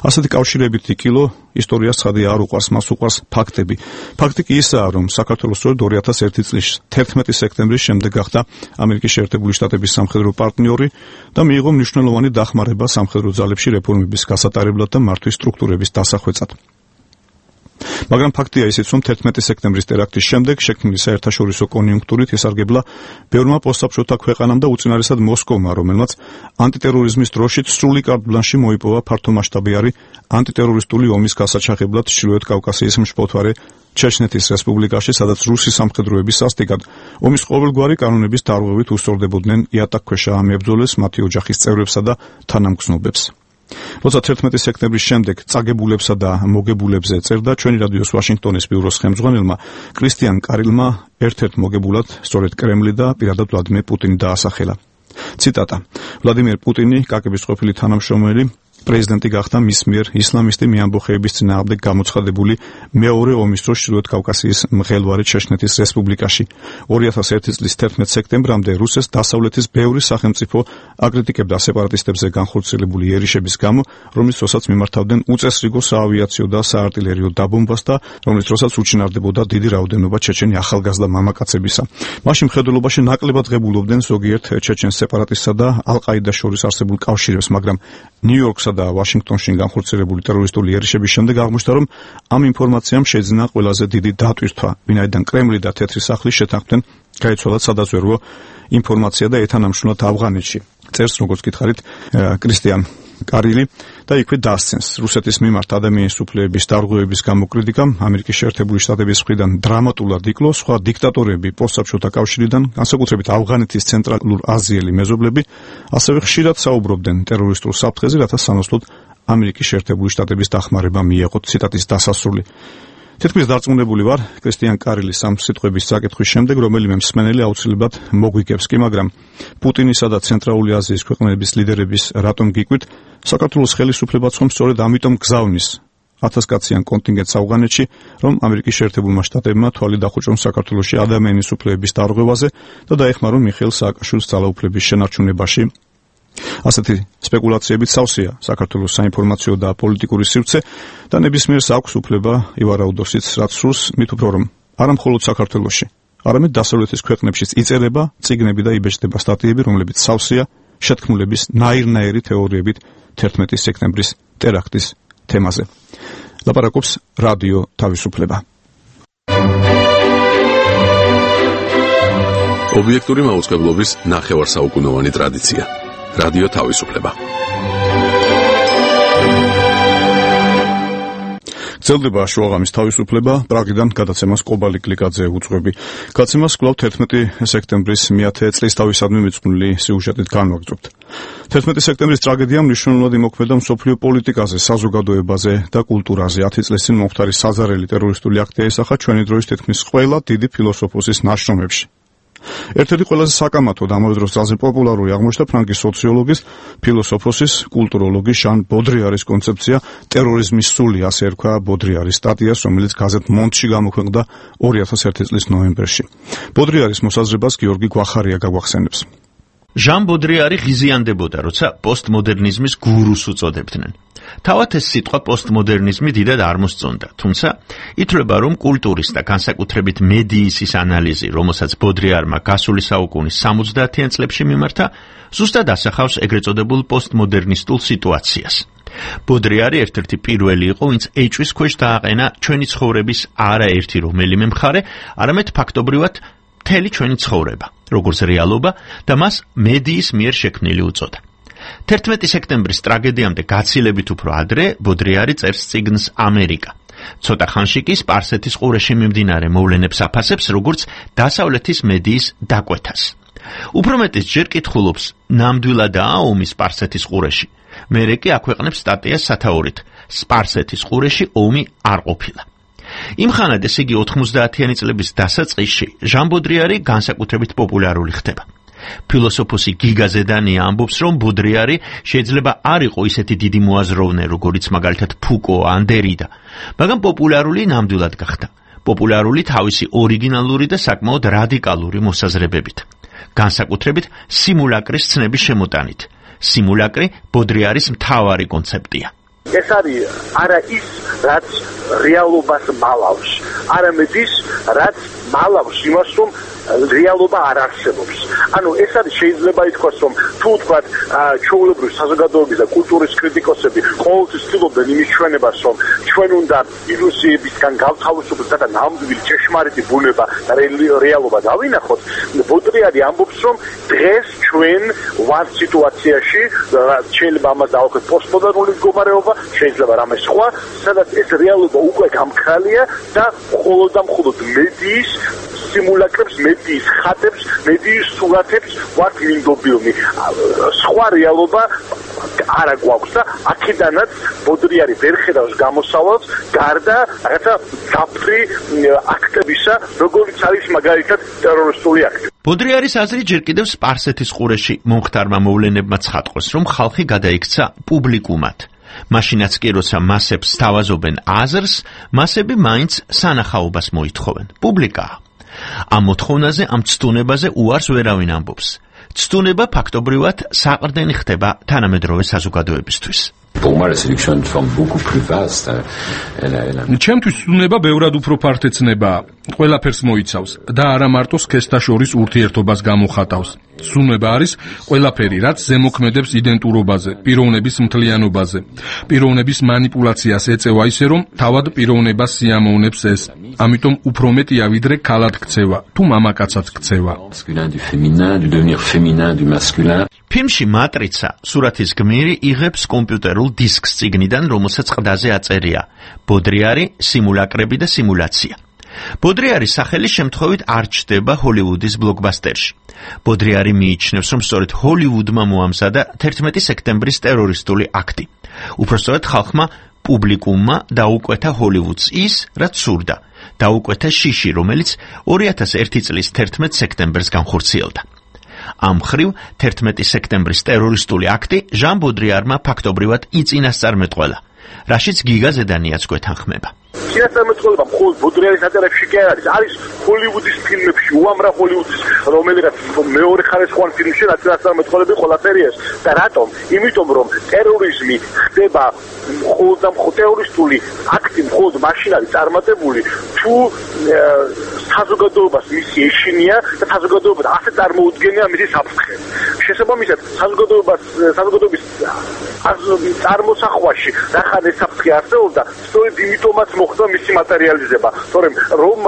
ასეთი კავშირებითი კილო ისტორიას ცხადია არ უყვარს, მას უყვარს ფაქტები. ფაქტი კი ისაა, რომ საქართველოს სწორედ 2001 წლის 11 სექტემბრის შემდეგ გახდა ამერიკის შეერთებული შტატების სამხედრო პარტნიორი და მიიღო მნიშვნელოვანი დახმარება სამხედრო ძალებში რეფორმების გასატარებლად და მართვის სტრუქტურების დასახვეწად. მაგრამ ფაქტია ისიც, რომ 11 სექტემბრის ტერაქტის შემდეგ შექმნილი საერთაშორისო კონიუნქტურით ესარგებლა ბევრმა პოსტსაბჭოთა ქვეყანამ და უწინარესად მოსკოვმა, რომელმაც ანტიტერორიზმის დროშით სრული კარტ ბლანში მოიპოვა ფართომასშტაბიანი ანტიტერორისტული ომის გასაჩაღებლად ჩრდილოეთ კავკასიის მშფოთვარე ჩეჩნეთის რესპუბლიკაში, სადაც რუსი სამხედროები სასტიკად ომის ყოველგვარი კანონების დარღვევით უსწორდებოდნენ იატაკქვეშა ამებრძოლეს, მათი ოჯახის წევრებსა და თანამგზნობებს. როცა 11 სექტემბრის შემდეგ წაგებულებსა და მოგებულებზე წერდა ჩვენი რადიოს ვაშინგტონის ბიუროს ხელმძღვანელმა კრისტიან კარილმა ერთ-ერთ მოგებულად სწორედ კრემლი და პირადად ვლადიმერ პუტინი დაასახელა. ციტატა: ვლადიმერ პუტინი, კაკების ყოფილი თანამშრომელი, პრეზიდენტი გახდა მის მიერ ისლამისტი მეამბოხეების წინააღმდეგ გამოცხადებული მეორე ომის დროს ჩრდილოეთ კავკასიის მღელვარე ჩეჩნეთის რესპუბლიკაში. 2001 წლის 11 სექტემბრამდე რუსეთს დასავლეთის ბევრი სახელმწიფო აკრიტიკებდა სეპარატისტებზე განხორციელებული ერიშების გამო, რომლის დროსაც მიმართავდნენ უწესრიგო საავიაციო და საარტილერიო დაბომბას და რომლის დროსაც უჩინარდებოდა დიდი რაოდენობა ჩეჩენი ახალგაზრდა მამაკაცებისა. მაშინ მხედველობაში ნაკლებად ღებულობდნენ ზოგიერთ ჩეჩენ სეპარატისტსა და ალ-ყაიდას შორის არსებულ კავშირებს, მაგრამ ნიუ-იორკსა და ვაშინგტონში განხორციელებული ტერორისტული ერიშების შემდეგ აღმოჩნდა, რომ ამ ინფორმაციამ შეძინა ყველაზე დიდი დატვირთვა, ვინაიდან კრემლი და თეთრი სახლი შეთანხმდნენ გაიცვალათ სადაზვერვო ინფორმაცია და ეთანამშრომლად ავღანეთში. წერს, როგორც გითხარით, კრისტიან კარილი და იქვე დასცენს რუსეთის მიმართ ადამიანის უფლებების დარღვევების გამო კრიტიკამ ამერიკის შეერთებული შტატების მხრიდან დრამატულად იკლო სხვა დიქტატორები პოსტსაბჭოთა კავშირიდან, განსაკუთრებით ავღანეთის ცენტრალურ-აზიელი მეზობლები, ასევე ხშირად საუბრობდნენ ტერორისტულ საფრთხეზე, რათა სამოსლოდ ამერიკის შეერთებული შტატების დახმარება მიეღოთ. ციტატის დასასრული. თითქმის დარწმუნებული ვარ, კრისტიან კარილის ამ სიტყვების წაკითხვის შემდეგ, რომელიმე მსმენელი აუცილებლად მოგვიგებს კი, მაგრამ პუტინისა და ცენტრალური აზიის ქვეყნების ლიდერების რატომ გიკვირთ, საქართველოს ხელისუფლებაც ხომ სწორედ ამიტომ გზავნის 1000 კაციან კონტინგენტს ავღანეთში, რომ ამერიკის შეერთებულმა შტატებმა თვალი დახუჭონ საქართველოში ადამიანის უფლებების დარღვევაზე და დაეხმარონ მიხეილ სააკაშვილის ძალაუფლების შენარჩუნებაში. ასეთი სპეკულაციებით სავსეა საქართველოს საინფორმაციო და პოლიტიკური სივრცე და ნებისმიერს აქვს უფლება ივარაუდოს ის, რაც სურს, მით უფრო რომ არა მხოლოდ საქართველოში, არამედ დასავლეთის ქვეყნებშიც იწერება წიგნები და იბეჭდება სტატიები, რომლებიც სავსეა შეთქმულების ნაირ-ნაირი თეორიებით 11 სექტემბრის ტერაქტის თემაზე. ლაპარაკობს რადიო თავისუფლება. ობიექტური მაუწყებლობის ნახევარსაუკუნოვანი ტრადიცია. რადიო თავისუფლება. გრძელდება შუაღამის თავისუფლება, პრაღიდან გადაცემას კობალი კლიკაძე უძღვები. გადაცემას კვლავ 11 სექტემბრის 100 წლისთავისადმი მიძღვნილი სიუჟეტით განვაგრძობთ. 11 სექტემბრის ტრაგედიამ მნიშვნელოვნად იმოქმედა მსოფლიო პოლიტიკაზე, საზოგადოებაზე და კულტურაზე. 10 წლის წინ მომხდარი საზარელი ტერორისტული აქტი ესახა ჩვენი დროის თითქმის ყველა დიდი ფილოსოფოსის ნაშრომებში. ერთ-ერთი ყველაზე საკამათო და ამავე დროს ძალზე პოპულარული აღმოჩნდა ფრანკის სოციოლოგის, ფილოსოფოსის, კულტუროლოგის ჟან ბოდრიარის კონცეფცია ტერორიზმის სული, ასე ერქვა ბოდრიარის სტატიას, რომელიც გაზეთ მონდში გამოქვეყნდა 2001 წლის ნოემბერში. ბოდრიარის მოსაზრებას გიორგი გვახარია გაგვახსენებს. ჟან ბოდრიარი ღიზიანდებოდა, როცა პოსტმოდერნიზმის გურუს უწოდებდნენ. თავად ეს სიტყვა პოსტმოდერნიზმი დიდად არ მოსწონდა, თუმცა ითვლება, რომ კულტურის და განსაკუთრებით მედიის ის ანალიზი, რომელსაც ბოდრიარმა გასული საუკუნის 70-იან წლებში მიმართა, ზუსტად ასახავს ეგრეთ წოდებულ პოსტმოდერნისტულ სიტუაციას. ბოდრიარი ერთ-ერთი პირველი იყო, ვინც ეჭვის ქვეშ დააყენა ჩვენი ცხოვრების არაერთი რომელიმე მხარე, არამედ ფაქტობრივად მთელი ჩვენი ცხოვრება, როგორც რეალობა და მას მედიის მიერ შექმნილი უწოდა. 11 სექტემბრის ტრაგედიამდე გაცილებით უფრო ადრე ბოდრიარი წერს წიგნს ამერიკა. ცოტა ხანში კი სპარსეთის ყურეში მიმდინარე მოვლენებს აფასებს, როგორც დასავლეთის მედიის დაკვეთას. უფრო მეტიც ჯერ კითხულობს, ნამდვილადაა ომი სპარსეთის ყურეში. მერე კი აქვეყნებს სტატიას სათაურით, სპარსეთის ყურეში ომი არ ყოფილა. იმხანად ეს იგი 90-იანი წლების დასაწყისში ჟან ბოდრიარი განსაკუთრებით პოპულარული ხდება. ფილოსოფოსი გიგა ზედანია ამბობს, რომ ბოდრიარი შეიძლება არ იყო ისეთი დიდი მოაზროვნე, როგორიც მაგალითად ფუკო ან დერიდა, მაგრამ პოპულარული ნამდვილად გახდა. პოპულარული თავისი ორიგინალური და საკმაოდ რადიკალური მოსაზრებებით. განსაკუთრებით სიმულაკრის ცნების შემოტანით. სიმულაკრი ბოდრიარის მთავარი კონცეფტია. ეს არის არა ის, რაც რეალობას მალავს, არამედ ის, რაც მალავს იმას, რომ რეალობა არ არსებობს. ანუ ეს არის შეიძლება ითქვას, რომ თუ ვთქვათ ჩვეულებრივი საზოგადოების და კულტურის კრიტიკოსები ყოველთვის ცდილობენ იმის ჩვენებას, რომ ჩვენ უნდა ილუზიებისგან გავთავისუფლდეთ და ნამდვილი ჭეშმარიტი ბუნება და რეალობა დავინახოთ. ბოდრიარი ამბობს, რომ დღეს ჩვენ ვართ სიტუაციაში, შეიძლება ამას დავუქვათ პოსტმოდერნული მდგომარეობა, შეიძლება რამე სხვა, სადაც ეს რეალობა უკვე გამქრალია და მხოლოდ და მხოლოდ მედიის სიმულაკრებს, მედიის ხატებს, მედიის სურათებს ვართ მინდობილნი. სხვა რეალობა არა გვაქვს და აქედანაც ბოდრიარი ვერ ხედავს გამოსავალს გარდა რაღაცა დაფრი აქტებისა, როგორიც არის მაგალითად ტერორისტული აქტი. ბოდრიარის აზრი ჯერ კიდევ სპარსეთის ყურეში მომხდარმა მოვლენებმა ცხადყოს, რომ ხალხი გადაიქცა პუბლიკუმად. მაშინაც კი როცა მასებს სთავაზობენ აზრს, მასები მაინც სანახაობას მოითხოვენ. პუბლიკაა. ამ მოთხოვნაზე, ამ ცდუნებაზე უარს ვერავინ ამბობს. ცდუნება ფაქტობრივად საყრდენი ხდება თანამედროვე საზოგადოებისთვის. ჩემთვის ცდუნება ბევრად უფრო ფართეცნებაა. ყველაფერს მოიცავს და არა მარტო სქესთა შორის ურთიერთობას გამოხატავს. ცდუნება არის ყველაფერი, რაც ზემოქმედებს იდენტურობაზე, პიროვნების მთლიანობაზე. პიროვნების манипуляციას ეწევა ისე, რომ თავად პიროვნებას სიამოვნებს ეს. ამიტომ უფრო მეტია ვიდრე ქალად ქცევა, თუ მამაკაცად ქცევა. ფილმში მატრიცა სურათის გმირი იღებს კომპიუტერულ დისკს წიგნიდან, რომელსაც ყდაზე აწერია ბოდრიარი, სიმულაკრები და სიმულაცია. ბოდრიარის სახელი შემთხვევით არ ჩნდება ჰოლივუდის ბლოკბასტერში. ბოდრიარი მიიჩნევს, რომ სწორედ ჰოლივუდმა მოამზადა 11 სექტემბრის ტერორისტული აქტი. უпростоრად ხალხმა პუბლიკუმმა დაუკვეთა ჰოლივუდს ის, რაც სურდა. დაუკვეთა შიში, რომელიც 2001 წლის 11 სექტემბერს განხორციელდა. ამ მხრივ 11 სექტემბრის ტერორისტული აქტი ჟან ბოდრიარმა ფაქტობრივად იწინასწარმეტყველა, რაშიც გიგა ზედანიაც გვეთანხმება. წინასწარმეტყველება მხოლოდ ბოდრიარის ატარებში კი არ არის ჰოლივუდის ფილმებში, უამრავ ჰოლივუდის რომელიღაც მეორე ხარისხოვან ფილმში წინასწარმეტყველები ყველაფერი ეს. და რატომ? იმიტომ რომ ტერორიზმი ხდება მხოლოდ და მხოლოდ ტერორისტული აქტი მხოლოდ მაშინ არის წარმატებული, თუ საზოგადოებას მისი ეშინია და საზოგადოება ასე წარმოუდგენია მისი საფრთხე. შესაბამისად, საზოგადოების წარმოსახვაში რახან ეს საფრთხე არსებობდა, სწორედ იმიტომაც მოხდა მისი მატერიალიზება. თორემ რომ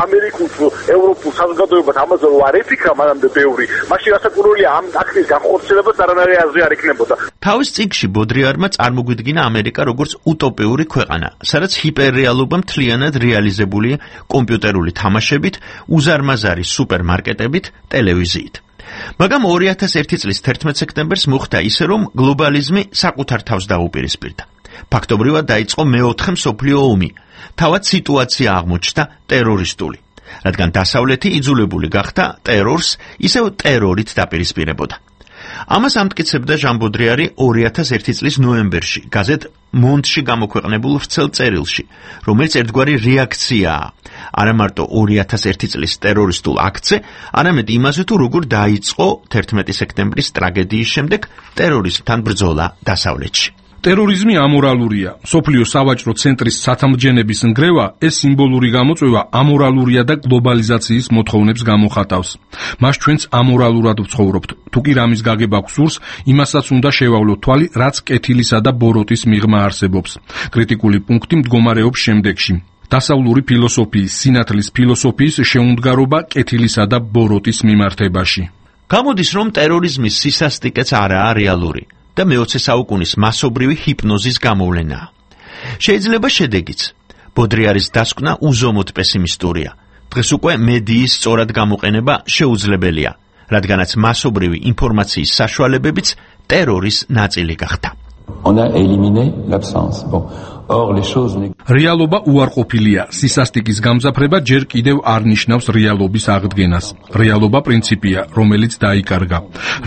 ამერიკულ ევროპულ საზოგადოებას ამაზე არ ეფიქრა მანამდე ბევრი, მაშინ რასაკვირველია ამ აქტის განხორციელებას არანაირი აზრი არ იქნებოდა. თავის წიგნში ბოდრიარმა წარმოგვიდგინა ამერიკა როგორც უტოპიური ქვეყანა, სადაც ჰიპერრეალობა მთლიანად რეალიზებულია კომპიუტერული თამაშებით, უზარმაზარი სუპერმარკეტებით, ტელევიზიით. მაგრამ 2001 წლის 11 სექტემბერს მოხდა ისე, რომ გლობალიზმი საკუთარ თავს დაუპირისპირდა. ფაქტობრივად დაიწყო მეოთხე მსოფლიო ომი. თავად სიტუაცია აღმოჩნდა ტერორისტული, რადგან დასავლეთი იძულებული გახდა ტერორს ისევ ტერორით დაპირისპირებოდა. ამას ამტკიცებდა ჟან ბოდრიარი 2001 წლის ნოემბერში გაზეთ მონდში გამოქვეყნებულ ვრცელ წერილში, რომელიც ერთგვარი რეაქციაა არა მარტო 2001 წლის ტერორისტულ აქტზე, არამედ იმაზე, თუ როგორ დაიწყო 11 სექტემბრის ტრაგედიის შემდეგ ტერორიზმთან ბრძოლა დასავლეთში. ტერორიზმი ამორალურია. სოფლიო სავაჭრო ცენტრის სათამბჯენების ნგრევა ეს სიმბოლური გამოწვევა ამორალურია და გლობალიზაციის მოთხოვნებს გამოხატავს. მას ჩვენც ამორალურად ვცხოვრობთ. თუ კი რამის გაგება გსურს, იმასაც უნდა შევავლოთ თვალი, რაც კეთილისა და ბოროტის მიღმა არსებობს. კრიტიკული პუნქტი მდგომარეობს შემდეგში. დასავლური ფილოსოფიის, სინათლის ფილოსოფიის შეუმდგარობა კეთილისა და ბოროტის მიმართებაში. გამოდის, რომ ტერორიზმის სისასტიკეც არაა რეალური და მე-20 საუკუნის მასობრივი ჰიპნოზის გამოვლენაა. შეიძლება შედეგიც. ბოდრიარის დასკვნა უზომოდ პესიმისტურია. დღეს უკვე მედიის სწორად გამოყენება შეუძლებელია, რადგანაც მასობრივი ინფორმაციის საშუალებებიც ტერორის ნაწილი გახდა. რეალობა უარყოფილია. სისასტიკის გამძაფრება ჯერ კიდევ არ ნიშნავს რეალობის აღდგენას. რეალობა პრინციპია, რომელიც დაიკარგა.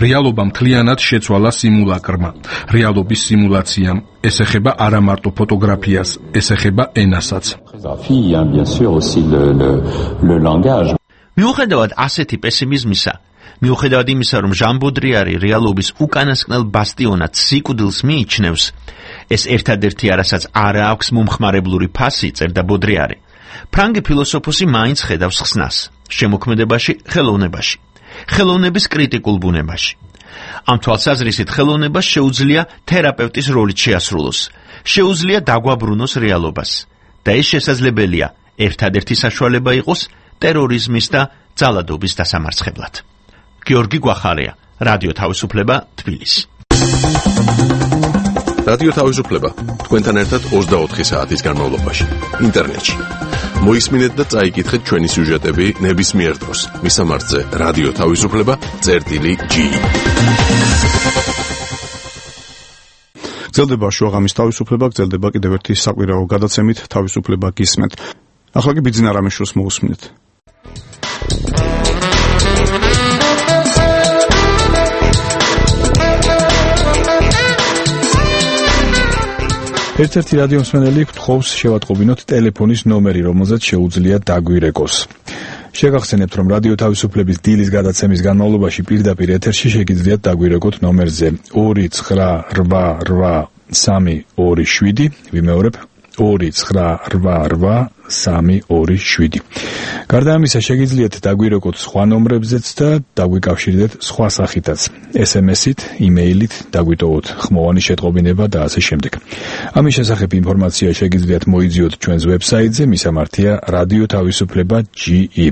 რეალობა მთლიანად შეცვალა სიმულაკრმა. რეალობის სიმულაციამ. ეს ეხება არა მარტო ფოტოგრაფიას, ეს ეხება ენასაც. მიუხედავად ასეთი პესიმიზმისა, მიუხედავად იმისა, რომ ჟან ბოდრიარი რეალობის უკანასკნელ ბასტიონად სიკვდილს მიიჩნევს, ეს ერთადერთი არასაც არა აქვს მომხმარებლური ფასი, წერდა ბოდრიარი. ფრანგი ფილოსოფოსი მაინც ხედავს ხსნას შემოქმედებაში, ხელოვნებაში, ხელოვნების კრიტიკულ ბუნებაში. ამ თვალსაზრისით ხელოვნებას შეუძლია თერაპევტის როლით შეასრულოს, შეუძლია დაგვაბრუნოს რეალობას და ეს შესაძლებელია ერთადერთი საშუალება იყოს ტერორიზმის და ძალადობის დასამარცხებლად. გიორგი გვახარია, რადიო თავისუფლება, თბილისი. რადიო თავისუფლება თქვენთან ერთად 24 საათის განმავლობაში ინტერნეტში. მოისმინეთ და წაიკითხეთ ჩვენი სიუჟეტები ნებისმიერ დროს მისამართზე რადიო თავისუფლება.ge. გრძელდება შუაღამის თავისუფლება, გრძელდება კიდევ ერთი საკვირაო გადაცემით თავისუფლება გისმენთ. ახლა კი ბიძინა რამეშვილს მოусმინეთ. ერთ-ერთი რადიო მსმენელი გთხოვს შევატყობინოთ ტელეფონის ნომერი, რომელზეც შეუძლია დაგვირეკოს. შეგახსენებთ, რომ რადიო თავისუფლების დილის გადაცემის განმავლობაში პირდაპირ ეთერში შეგიძლიათ დაგვირეკოთ ნომერზე 2988327. ვიმეორებ 2988327. გარდა ამისა, შეგიძლიათ დაგვირეკოთ სხვა ნომრებზეც და დაგვიკავშირდეთ სხვა სახითაც. SMS-ით, email-ით, დაგვიტოვოთ ხმოვანი შეტყობინება და ასე შემდეგ. ამის შესახებ ინფორმაცია შეგიძლიათ მოიძიოთ ჩვენს ვებსაიტზე, მისამართია radioთავისუფლება.ge,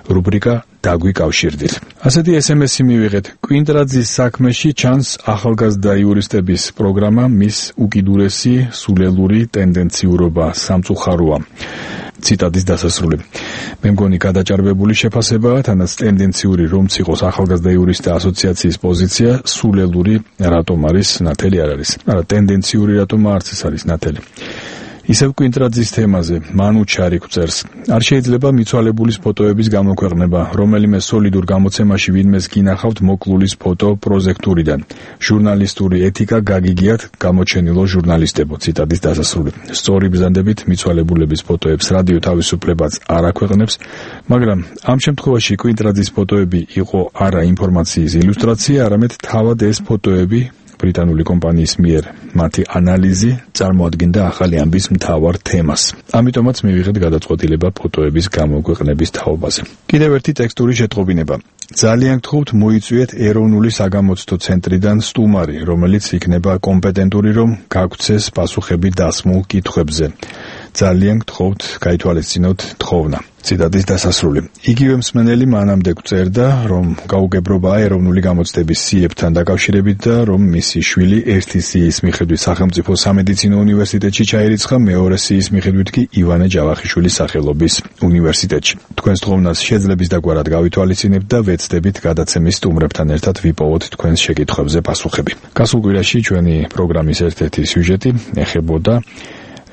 რუბრიკა დაგვიკავშირდით. ასეთი SMS-ი მივიღეთ. კვინტრაძის საქმეში ჩანს ახალგაზრდა იურისტების პროგრამა, მის უკიდურესი სულელური ტენდენციურობა სამწუხაროა. ციტატის დასასრული. მე მგონი გადაჭარბებული შეფასებაა, თანაც ტენდენციური რომც იყოს ახალგაზრდა იურისტთა ასოციაციის პოზიცია, სულელური რატომ არის ნათელი არ არის. არა, ტენდენციური რატომ არც ეს არის ნათელი. ისევ კვინტრაძის თემაზე მანუჩარი გვწერს. არ შეიძლება მიცვალებულის ფოტოების გამოქვეყნება, რომელიმე სოლიდურ გამოცემაში ვინმეს გინახავთ მოკლულის ფოტო პროჟექტურიდან. ჟურნალისტური ეთიკა გაგიგიათ გამოჩენილო ჟურნალისტებო. ციტატის დასასრული. სწორი ბრძანდებით მიცვალებულების ფოტოებს რადიო თავისუფლებაც არ აქვეყნებს, მაგრამ ამ შემთხვევაში კვინტრაძის ფოტოები იყო არა ინფორმაციის ილუსტრაცია, არამედ თავად ეს ფოტოები ბრიტანული კომპანიის მიერ მათი ანალიზი წარმოადგენდა ახალი ამბის მთავარ თემას. ამიტომაც მივიღეთ გადაწყვეტილება ფოტოების გამოქვეყნების თაობაზე. კიდევ ერთი ტექსტური შეტყობინება. ძალიან გთხოვთ მოიწვიეთ ეროვნული საგამოცდო ცენტრიდან სტუმარი, რომელიც იქნება კომპეტენტური, რომ გაგცეს პასუხები დასმულ კითხვებზე. ძალიან გთხოვთ გაითვალისწინოთ თხოვნა. ციტატის დასასრული. იგივე მსმენელი მანამდე გვწერდა, რომ გაუგებრობაა ეროვნული გამოცდების სიებთან დაკავშირებით და რომ მისი შვილი ერთი სიის მიხედვით სახელმწიფო სამედიცინო უნივერსიტეტში ჩაირიცხა, მეორე სიის მიხედვით კი ივანე ჯავახიშვილის სახელობის უნივერსიტეტში. თქვენს თხოვნას შეძლების დაგვარად გავითვალისწინებთ და ვეცდებით გადაცემის სტუმრებთან ერთად ვიპოვოთ თქვენს შეკითხვებზე პასუხები. გასულ კვირაში ჩვენი პროგრამის ერთ-ერთი სიუჟეტი ეხებოდა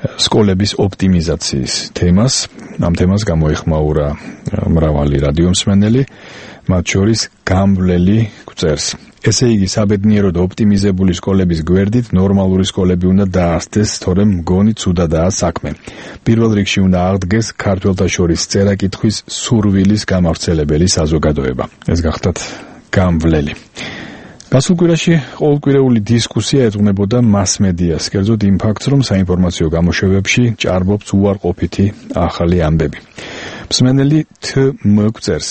სკოლების ოპტიმიზაციის თემას. ამ თემას გამოეხმაურა მრავალი რადიო მსმენელი, მათ შორის გამვლელი გვწერს. ესე იგი, საბედნიეროდ ოპტიმიზებული სკოლების გვერდით ნორმალური სკოლები უნდა დაასწეს, თორემ მგონი ცუდადაა საქმე. პირველ რიგში უნდა აღდგეს ქართველთა შორის წერა-კითხვის სურვილის გამავრცელებელი საზოგადოება. ეს გახდათ გამვლელი. გასულ კვირაში ყოველკვირეული დისკუსია ეძღვნებოდა მასმედიას, კერძოდ იმ ფაქტს, რომ საინფორმაციო გამოშვებებში ჭარბობს უარყოფითი ახალი ამბები. მსმენელი თმ გვწერს.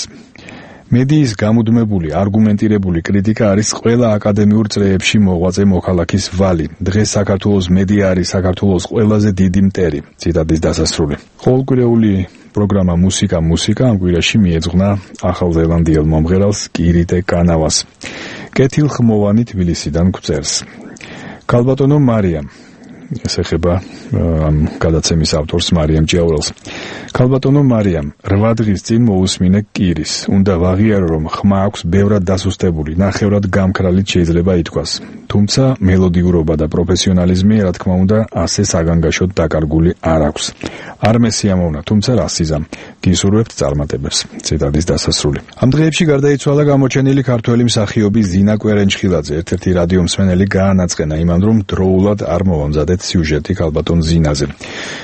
მედიის გამუდმებული, არგუმენტირებული კრიტიკა არის ყველა აკადემიურ წრეებში მოღვაწე მოქალაქის ვალი. დღეს საქართველოს მედია არის საქართველოს ყველაზე დიდი მტერი. ციტატის დასასრული. ყოველკვირეული პროგრამა მუსიკა ამ კვირაში მიეძღვნა ახალზელანდიელ მომღერალს კირიტე კანავას. კეთილხმოვანი თბილისიდან გვწერს. ქალბატონო მარიამ, ეს ეხება ამ გადაცემის ავტორს მარიამ ჭიაურელს. ქალბატონო მარიამ, 8 დღის წინ მოусმინე კირის. უნდა ვაღიარო, რომ ხმა აქვს ბევრად დასუსტებული, ნახევრად გამქრალით შეიძლება ითქვას. თუმცა მელოდიურობა და პროფესიონალიზმი, რა თქმა უნდა, ასე საგანგაშოდ დაკარგული არ აქვს. არ მესიამოვნა, თუმცა რა სიზამ. გისურვებთ წარმატებებს. ციტატის დასასრული. ამ დღეებში გარდაიცვალა გამოჩენილი ქართველი მსახიობი ზინა კვერენჩხილაძე. ერთ-ერთი რადიო მსმენელი გაანაწყენა იმან, რომ დროულად არ მოვამზადეთ შეგიძლიათ სიუჟეტი ქალბატონ ზინაზე.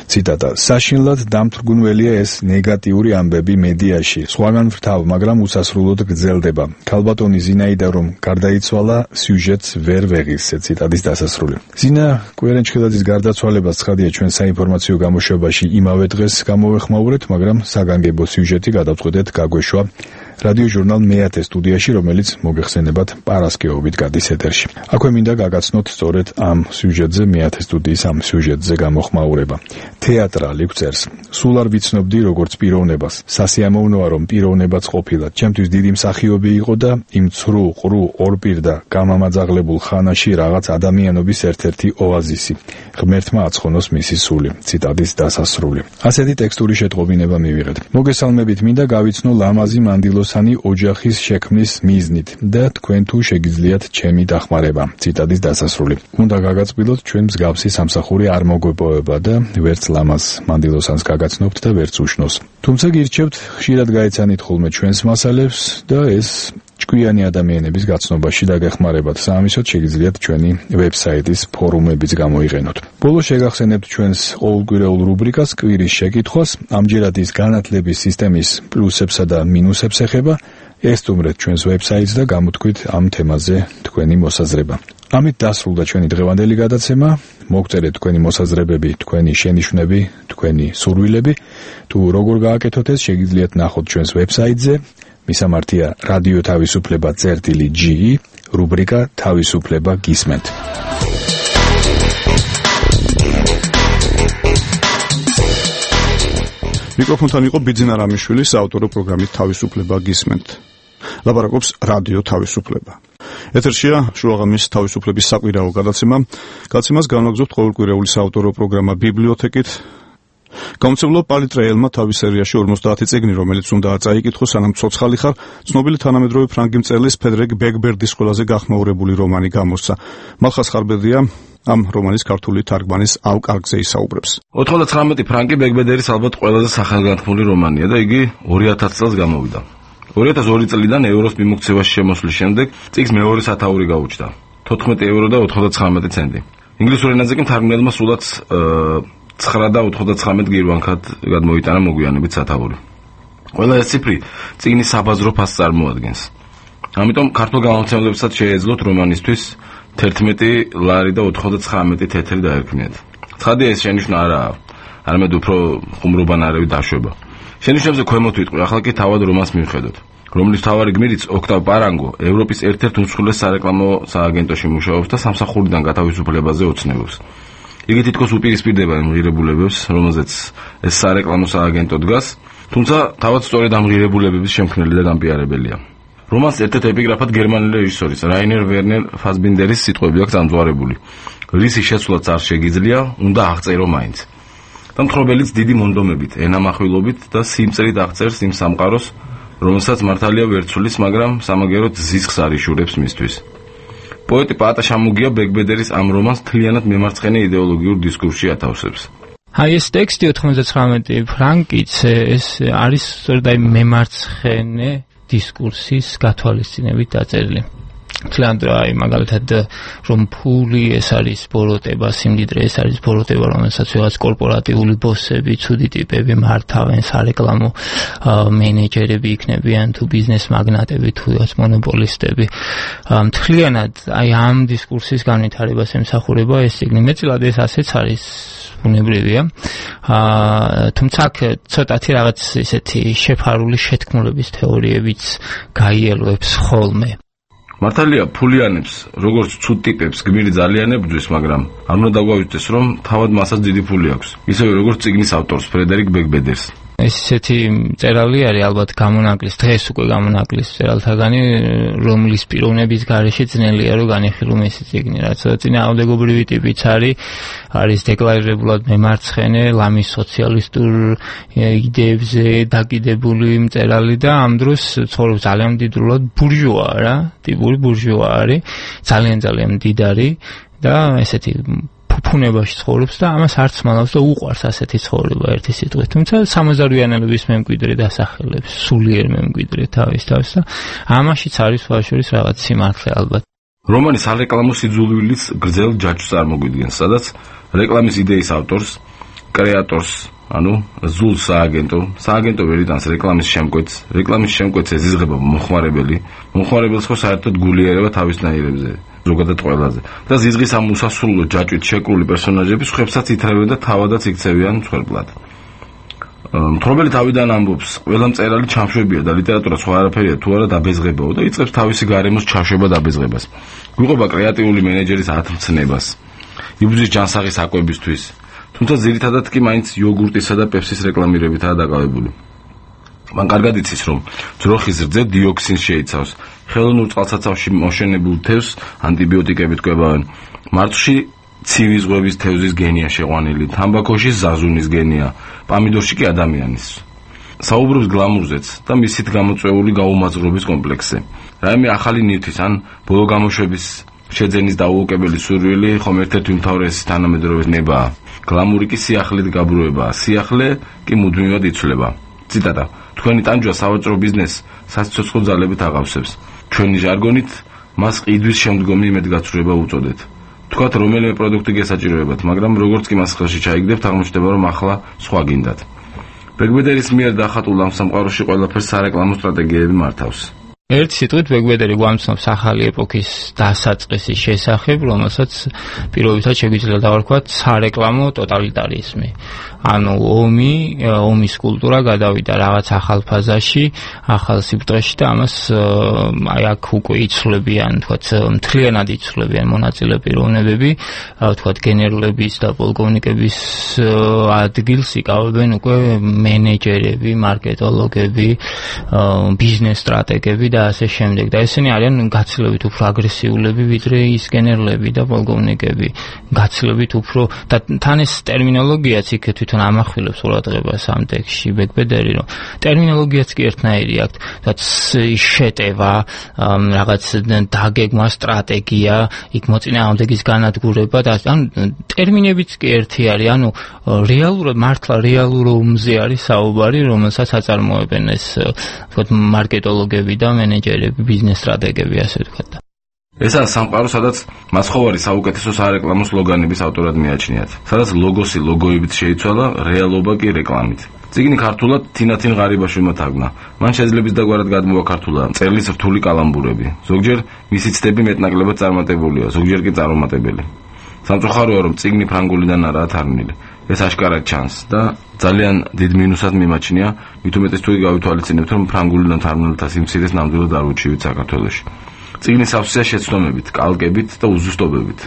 ციტატა: საშინლად დამთრგუნველია ეს ნეგატიური ამბები მედიაში. სხვაგან ვრთავ, მაგრამ უსასრულოდ გრძელდება. ქალბატონი ზინაიდა რომ გარდაიცვალა, სიუჟეტს ვერ ვეღირსე. ციტატის დასასრული. ზინა კვირენჩხილაძის გარდაცვალებას ცხადია ჩვენ საინფორმაციო გამოშვებაში იმავე დღეს გამოვეხმაურეთ, მაგრამ საგანგებო სიუჟეტი გადავწყვეტეთ გაგვეშვა რადიო ჟურნალ მეათე სტუდიაში, რომელიც მოგეხსენებათ პარასკევობით გადის ეთერში. აქვე მინდა გაგაცნოთ სწორედ ამ სიუჟეტზე, მეათე სტუდიის ამ სიუჟეტზე გამოხმაურება. თეატრალი გვწერს: სულ არ ვიცნობდი როგორც პიროვნებას. სასიამოვნოა რომ პიროვნებაც ყოფილა. ჩემთვის დიდი მსახიობი იყო და იმ ცრუ, ყრუ, ორპირ და გამამაძაღლებულ ხანაში რაღაც ადამიანობის ერთ-ერთი ოაზისი. ღმერთმა აცხონოს მისი სული. ციტატის დასასრული. ასეთი ტექსტური შეტყობინება მივიღეთ. მოგესალმებით, მინდა გავიცნო ლამაზი მანდილოსანი ოჯახის შექმნის მიზნით და თქვენ თუ შეგიძლიათ ჩემი დახმარება. ციტატის დასასრული. უნდა გაგაწყვიტოთ, ჩვენ მსგავსი სამსახური არ მოგვეპოვება და ვერც ლამაზ მანდილოსანს გაგაცნობთ და ვერც უშნოს. თუმცა გირჩევთ, ხშირად გაეცანით ხოლმე ჩვენს მასალებს და ეს ჭკვიანი ადამიანების გაცნობაში დაგეხმარებათ. საამისოდ შეგიძლიათ ჩვენი ვებსაიტის ფორუმებიც გამოიყენოთ. ბოლოს შეგახსენებთ ჩვენს ყოველკვირეულ რუბრიკას კვირის შეკითხვას. ამჯერად ის განათლების სისტემის პლუსებსა და მინუსებს ეხება. ესტუმრეთ ჩვენს ვებსაიტს და გამოთქვით ამ თემაზე თქვენი მოსაზრება. ამით დასრულდა ჩვენი დღევანდელი გადაცემა. მოგწერეთ თქვენი მოსაზრებები, თქვენი შენიშვნები, თქვენი სურვილები. თუ როგორ გააკეთოთ ეს, შეგიძლიათ ნახოთ ჩვენს ვებსაიტზე. მისამართია რადიო თავისუფლება წერტილი.ge, რუბრიკა თავისუფლება გისმენთ. მიკროფონთან იყო ბიძინა რამიშვილი, საავტორო პროგრამით თავისუფლება გისმენთ. ლაპარაკობს რადიო თავისუფლება. ეთერშია შუაღამის თავისუფლების საკვირაო გადაცემა. გადაცემას განვაგრძობთ ყოველკვირეული საავტორო პროგრამა ბიბლიოთეკით. გამოცემლობა პალიტრეელმა თავის სერიაში 50 წიგნი, რომელიც უნდა წაიკითხოს, სანამ ცოცხალი ხარ, ცნობილი თანამედროვე ფრანგი მწერლის ფედერიკ ბეკბერდის ყველაზე გახმაურებული რომანი გამოსცა. მალხას ხარბედია ამ რომანის ქართული თარგმანის ავკარგზე ისაუბრებს. 99 ფრანკი ბეკბერდის ალბათ ყველაზე სახელგანთქმული რომანია და იგი 2000 წელს გამოვიდა. 2002 წლიდან ევროს მიმოქცევაში შემოსვლის შემდეგ წიგნს მეორე სათაური გაუჩნდა. 14 ევრო და 99 ცენტი. ინგლისურ ენაზე კი მთარგმნელმა სულაც 9 და 99 გირვანქად გადმოიტანა მოგვიანებით სათაური. ყველა ეს ციფრი წიგნის საბაზრო ფასს წარმოადგენს. ამიტომ ქართულ გამომცემლებსაც შეეძლოთ რომანისთვის 11 ლარი და 99 თეთრი დაერქმნიათ. ცხადია ეს შენიშვნა არაა, არამედ უფრო ხუმრობანარევი დაშვება. შენიშვნებზე ქვემოთ ვიტყვი, ახლა კი თავად რომანს მივხედოთ, რომლის მთავარი გმირიც ოქტავ პარანგო ევროპის ერთ-ერთ უმსხვილეს სარეკლამო სააგენტოში მუშაობს და სამსახურიდან გათავისუფლებაზე ოცნებობს. იგი თითქოს უპირისპირდება იმ ღირებულებებს, რომელზეც ეს სარეკლამო სააგენტო დგას, თუმცა თავად სწორედ ამ ღირებულებების შემქმნელი და დამპიარებელია. რომანს ერთ-ერთ ეპიგრაფად გერმანელი რეჟისორის რაინერ ვერნერ ფასბინდერის სიტყვები აქვს ამძვარებული. რისი შეცვლაც არ შეგიძლია, უნდა აღწერო მაინც. და მთხრობელიც დიდი მონდომებით, ენამახვილობით და სიმწრით აღწერს იმ სამყაროს, რომელსაც მართალია ვერ ცulis, მაგრამ სამაგეროდ ზისხს არიშურებს მისთვის. პოეტი პაატა შამუგია ბეკბედერის ამ რომანს მთლიანად მემარცხენე იდეოლოგიურ დისკურსში ათავსებს. აი ეს ტექსტი 99 ფრანკიც ეს არის სწორედ აი მემარცხენე დისკურსის გათვალისწინებით დაწერილი. თლიანად აი მაგალითად რომ ფული ეს არის ბოროტება, სიმდიდრე ეს არის ბოროტება, რომელსაც რაღაც კორპორატიული ბოსები, ცუდი ტიპები მართავენ, სარეკლამო მენეჯერები იქნებიან თუ ბიზნეს მაგნატები თუ რაღაც მონოპოლისტები. თლიანად აი ამ დისკურსის განვითარებას ემსახურება ეს წიგნი. მეტწილად ეს ასეც არის ბუნებრივია. თუმცა ცოტათი რაღაც ისეთი შეფარული შეთქმულების თეორიებიც გაიელვებს ხოლმე. მართალია ფულიანებს, როგორც ცუდ ტიპებს გმირი ძალიან ებრძვის, მაგრამ არ უნდა დაგვაუწყდეს, რომ თავად მასაც დიდი ფული აქვს. ისევე როგორც წიგნის ავტორს ფრედერიკ ბეკბედერს. ესეთი წერალი არის ალბათ გამონაკლის, დღეს უკვე გამონაკლის წერალთაგანი, რომლის პიროვნების გარეშე ძნელია რომ განიხილო მისი წიგნი, რაც წინააღმდეგობრივი ტიპიც არის დეკლარირებულად მემარცხენე, ლამის სოციალისტურ იდეებზე დაკიდებული მწერალი და ამ დროს ცხოვრობს ძალიან მდიდრულად ბურჟუა რა, ტიპური ბურჟუა არის, ძალიან მდიდარი და ესეთი ფუნებაში ცხოვრობს და ამას არც მალავს და უყვარს ასეთი ცხოვრება ერთი სიტყვით. თუმცა სამოზარვიანელების მემკვიდრე დასახელებს, სულიერ მემკვიდრე თავის და ამაშიც არის ვაშორის რაღაც სიმართლე ალბათ. რომანის სარეკლამო სიძულვილიც გრძელ ჯაჭვს წარმოგვიდგენს, სადაც რეკლამის იდეის ავტორს, კრეატორს, ზულ სააგენტო ვერ იტანს რეკლამის შემკვეთს, რეკლამის შემკვეთს ეზიზღება მომხმარებელი, მომხმარებელს ხო საერთოდ გულიერება თავისნაირებზე, ზოგადად ყველაზე. და ზიზღის ამ უსასრულო ჯაჭვით შეკრული პერსონაჟები სხვებსაც ითრევენ და თავადაც იქცევიან მსხვერპლად. მთხრობელი თავიდან ამბობს, ყველა მწერალი ჩამშვებია და ლიტერატურა სხვა არაფერია თუ არა დაბეზღებაო და იწყებს თავისი გარემოს ჩაშვება დაბეზღებას. გვიყვება კრეატიული მენეჯერის ათმცნებას, იბრძვის ჯანსაღი საკვებისთვის, თუმცა ძირითადად კი მაინც იოგურტისა და პეპსის რეკლამირებითაა დაკავებული. მან კარგად იცის, რომ ძროხის რძე დიოქსინს შეიცავს, ხელოვნურ წყალსაცავში მოშენებულ თევზს ანტიბიოტიკებით კვებავენ, მარცვლში ცივი ზღვების თევზის გენია შეყვანილი, თამბაქოში ზაზუნის გენია, პამიდორში კი ადამიანის. საუბრობს გლამურზეც და მისით გამოწვეული გაუმაძღრობის კომპლექსზე. რაიმე ახალი ნივთის ან ბოლო გამოშვების შეძენის დაუოკებელი სურვილი ხომ ერთ-ერთი უმთავრესი თანამედროვე ნებაა. გლამური კი სიახლით გაბრუებაა, სიახლე კი მუდმივად იცვლება. ციტატა: თქვენი ტანჯვა სავაჭრო ბიზნესს საცოცხლო ძალებით აღავსებს. ჩვენი ჟარგონით მას ყიდვის შემდგომი იმედგაცრუება უწოდეთ. თქვათ რომელიმე პროდუქტი გესაჭიროებათ, მაგრამ როგორც კი მას ხელში ჩაიგდებთ, აღმოჩნდება რომ ახლა სხვა გინდათ. ბეგბედერის მიერ დახატულ ამ სამყაროში ყველაფერს სარეკლამო სტრატეგიები მართავს. ერთ სიტყვით ბეგბედერი გვამცნობს ახალი ეპოქის დასაწყისის შესახებ, რომელსაც პირობითად შეგვიძლია დავარქვათ სარეკლამო ტოტალიტარიზმი. ომის კულტურა გადავიდა რაღაც ახალ ფაზაში, ახალ სიბრტყეში და ამას აქ უკვე იცვლებიან, მთლიანად იცვლებიან მონაწილე პიროვნებები, გენერლების და პოლკოვნიკების ადგილს იკავებენ უკვე მენეჯერები, მარკეტოლოგები, ბიზნეს სტრატეგები და ასე შემდეგ. და ესენი არიან გაცილებით უფრო აგრესიულები, ვიდრე ის გენერლები და პოლკოვნიკები. გაცილებით უფრო და თან ეს ტერმინოლოგიაც იქ თვითონ ამახვილებს ყურადღებას ამ ტექსტში ბეგბედერი, რომ ტერმინოლოგიაც კი ერთნაირი აქვს, შეტევა, რაღაც დაგეგმა, სტრატეგია, იქ მოწინააღმდეგის განადგურება და ტერმინებიც კი ერთი არის, რეალურად მართლა რეალურ ომზე არის საუბარი, რომელსაც აწარმოებენ ეს მარკეტოლოგები და მენეჯერები, ბიზნეს სტრატეგები, ასე ვთქვათ. ესაა სამყარო, სადაც მასხოვარი საუკეთესო სარეკლამო სლოგანების ავტორად მიაჩნიათ, სადაც ლოგოსი ლოგოებით შეიცვალა, რეალობა კი რეკლამით. წიგნი ქართულად თინათინ ღარიბაშვილმა თარგმნა. მან შეძლების დაგვარად გადმოვა ქართულად მწერლის რთული კალამბურები. ზოგჯერ მისი ცდები მეტნაკლებად წარმატებულია, ზოგჯერ კი წარუმატებელი. სამწუხაროა, რომ წიგნი ფრანგულიდან არაა თარგმნილი. ეს აშკარად ჩანს და ძალიან დიდ მინუსად მიმაჩნია, მით უმეტეს თუ გავითვალისწინებთ, რომ ფრანგულიდან თარგმნელთა სიმცირეს ნამდვილად არ უჩივით საქართველოში. წიგნი სავსეა შეცდომებით, კალკებით და უზუსტობებით.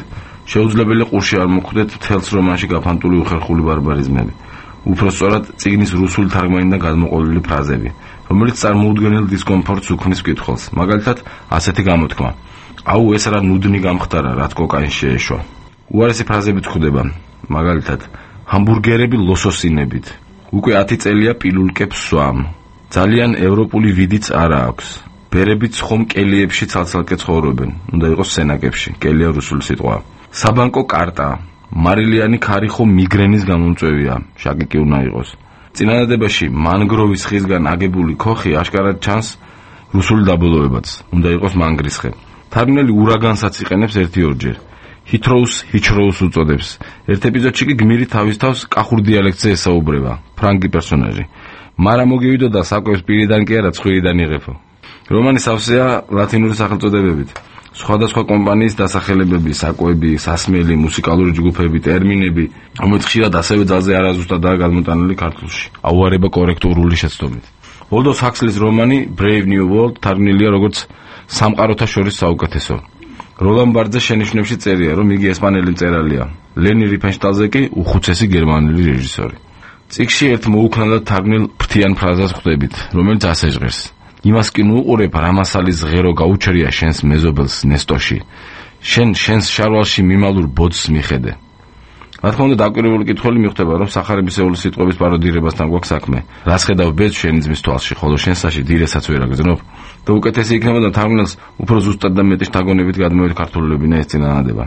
შეუძლებელი ყურში არ მოხვდეთ მთელს რომანში გაფანტული უხერხული ბარბარიზმები. უფრო სწორად, წიგნის რუსული თარგმანიდან გადმოყოლილი ფრაზები, რომელიც წარმოუდგენელ დისკომფორტს უქმნის მკითხველს. მაგალითად, ასეთი გამოთქმა: აუ, ეს რა ნუდნი გამხდარა, რაც კოკაინს შეეშვა. უარესი ფრაზებით გვხვდება, მაგალითად, ჰამბურგერები ლოსოსინებით. უკვე 10 წელია პილულკებს სვამ. ძალიან ევროპული ვიდიც არა აქვს. ბერებიც ხომ კელიებში ცალ-ცალკე ცხოვრობენ, უნდა იყოს სენაკებში, კელია რუსული სიტყვაა. საბანკო კარტა, მარილიანი ქარი ხომ მიგრენის გამომწვევია, შაკიკი უნდა იყოს. წინადადებაში მანგროვის ხისგან აგებული ქოხი აშკარად ჩანს რუსული დაბოლოებაც, უნდა იყოს მანგრისხე. თარგმნელი ურაგანსაც იყენებს 1-2 ჰიჩროუს უწოდებს. ერთ ეპიზოდში კი გმირი თავის თავს კახურ დიალექტზე ესაუბრება, ფრანგი პერსონაჟი. მარა მოგივიდოდა საკვებს პირიდან კი არა ცხვირიდან იღებო. რომანი სავსეა ლათინური სახელწოდებებით. სხვადასხვა კომპანიის დასახელებები, საკვები, სასმელი, მუსიკალური ჯგუფები, ტერმინები, რომელიც ხშირად ასევე ძალზე არაზუსტადაა გადმოტანილი ქართულში. აუარება კორექტურული შეცდომით. ოლდოს ჰაქსლის რომანი Brave New World თარგმნილია როგორც სამყაროთა შორის საუკეთესო. როლან ბარძე შენიშვნებში წერია, რომ იგი ესპანელი მწერალია. ლენი რიფენშტალზე კი უხუცესი გერმანელი რეჟისორი. წიგნში ერთ მოუქნელად თარგმნილ ფრთიან ფრაზას ხვდებით, რომელიც ასე ჟღერს: იმას კი ნუ უყურებ, რა მასალის ღერო გაუჩერია შენს მეზობელს ნესტოში. შენს შარვალში მიმალურ ბოძს მიხედე. რა თქმა უნდა, დაკვირვებული კითხველი მიხვდება, რომ სახარებისეული სიტყვების პაროდირებასთან გვაქვს საქმე. რას ხედავ ბედს შენი ძმის თვალში, ხოლო შენსაში დირესაც ვერ აგრძნობ? და უკეთესი იქნებოდა თარგმნელს უფრო ზუსტად და მეტი შთაგონებით გადმოეთქართულებინა ეს წინადადება.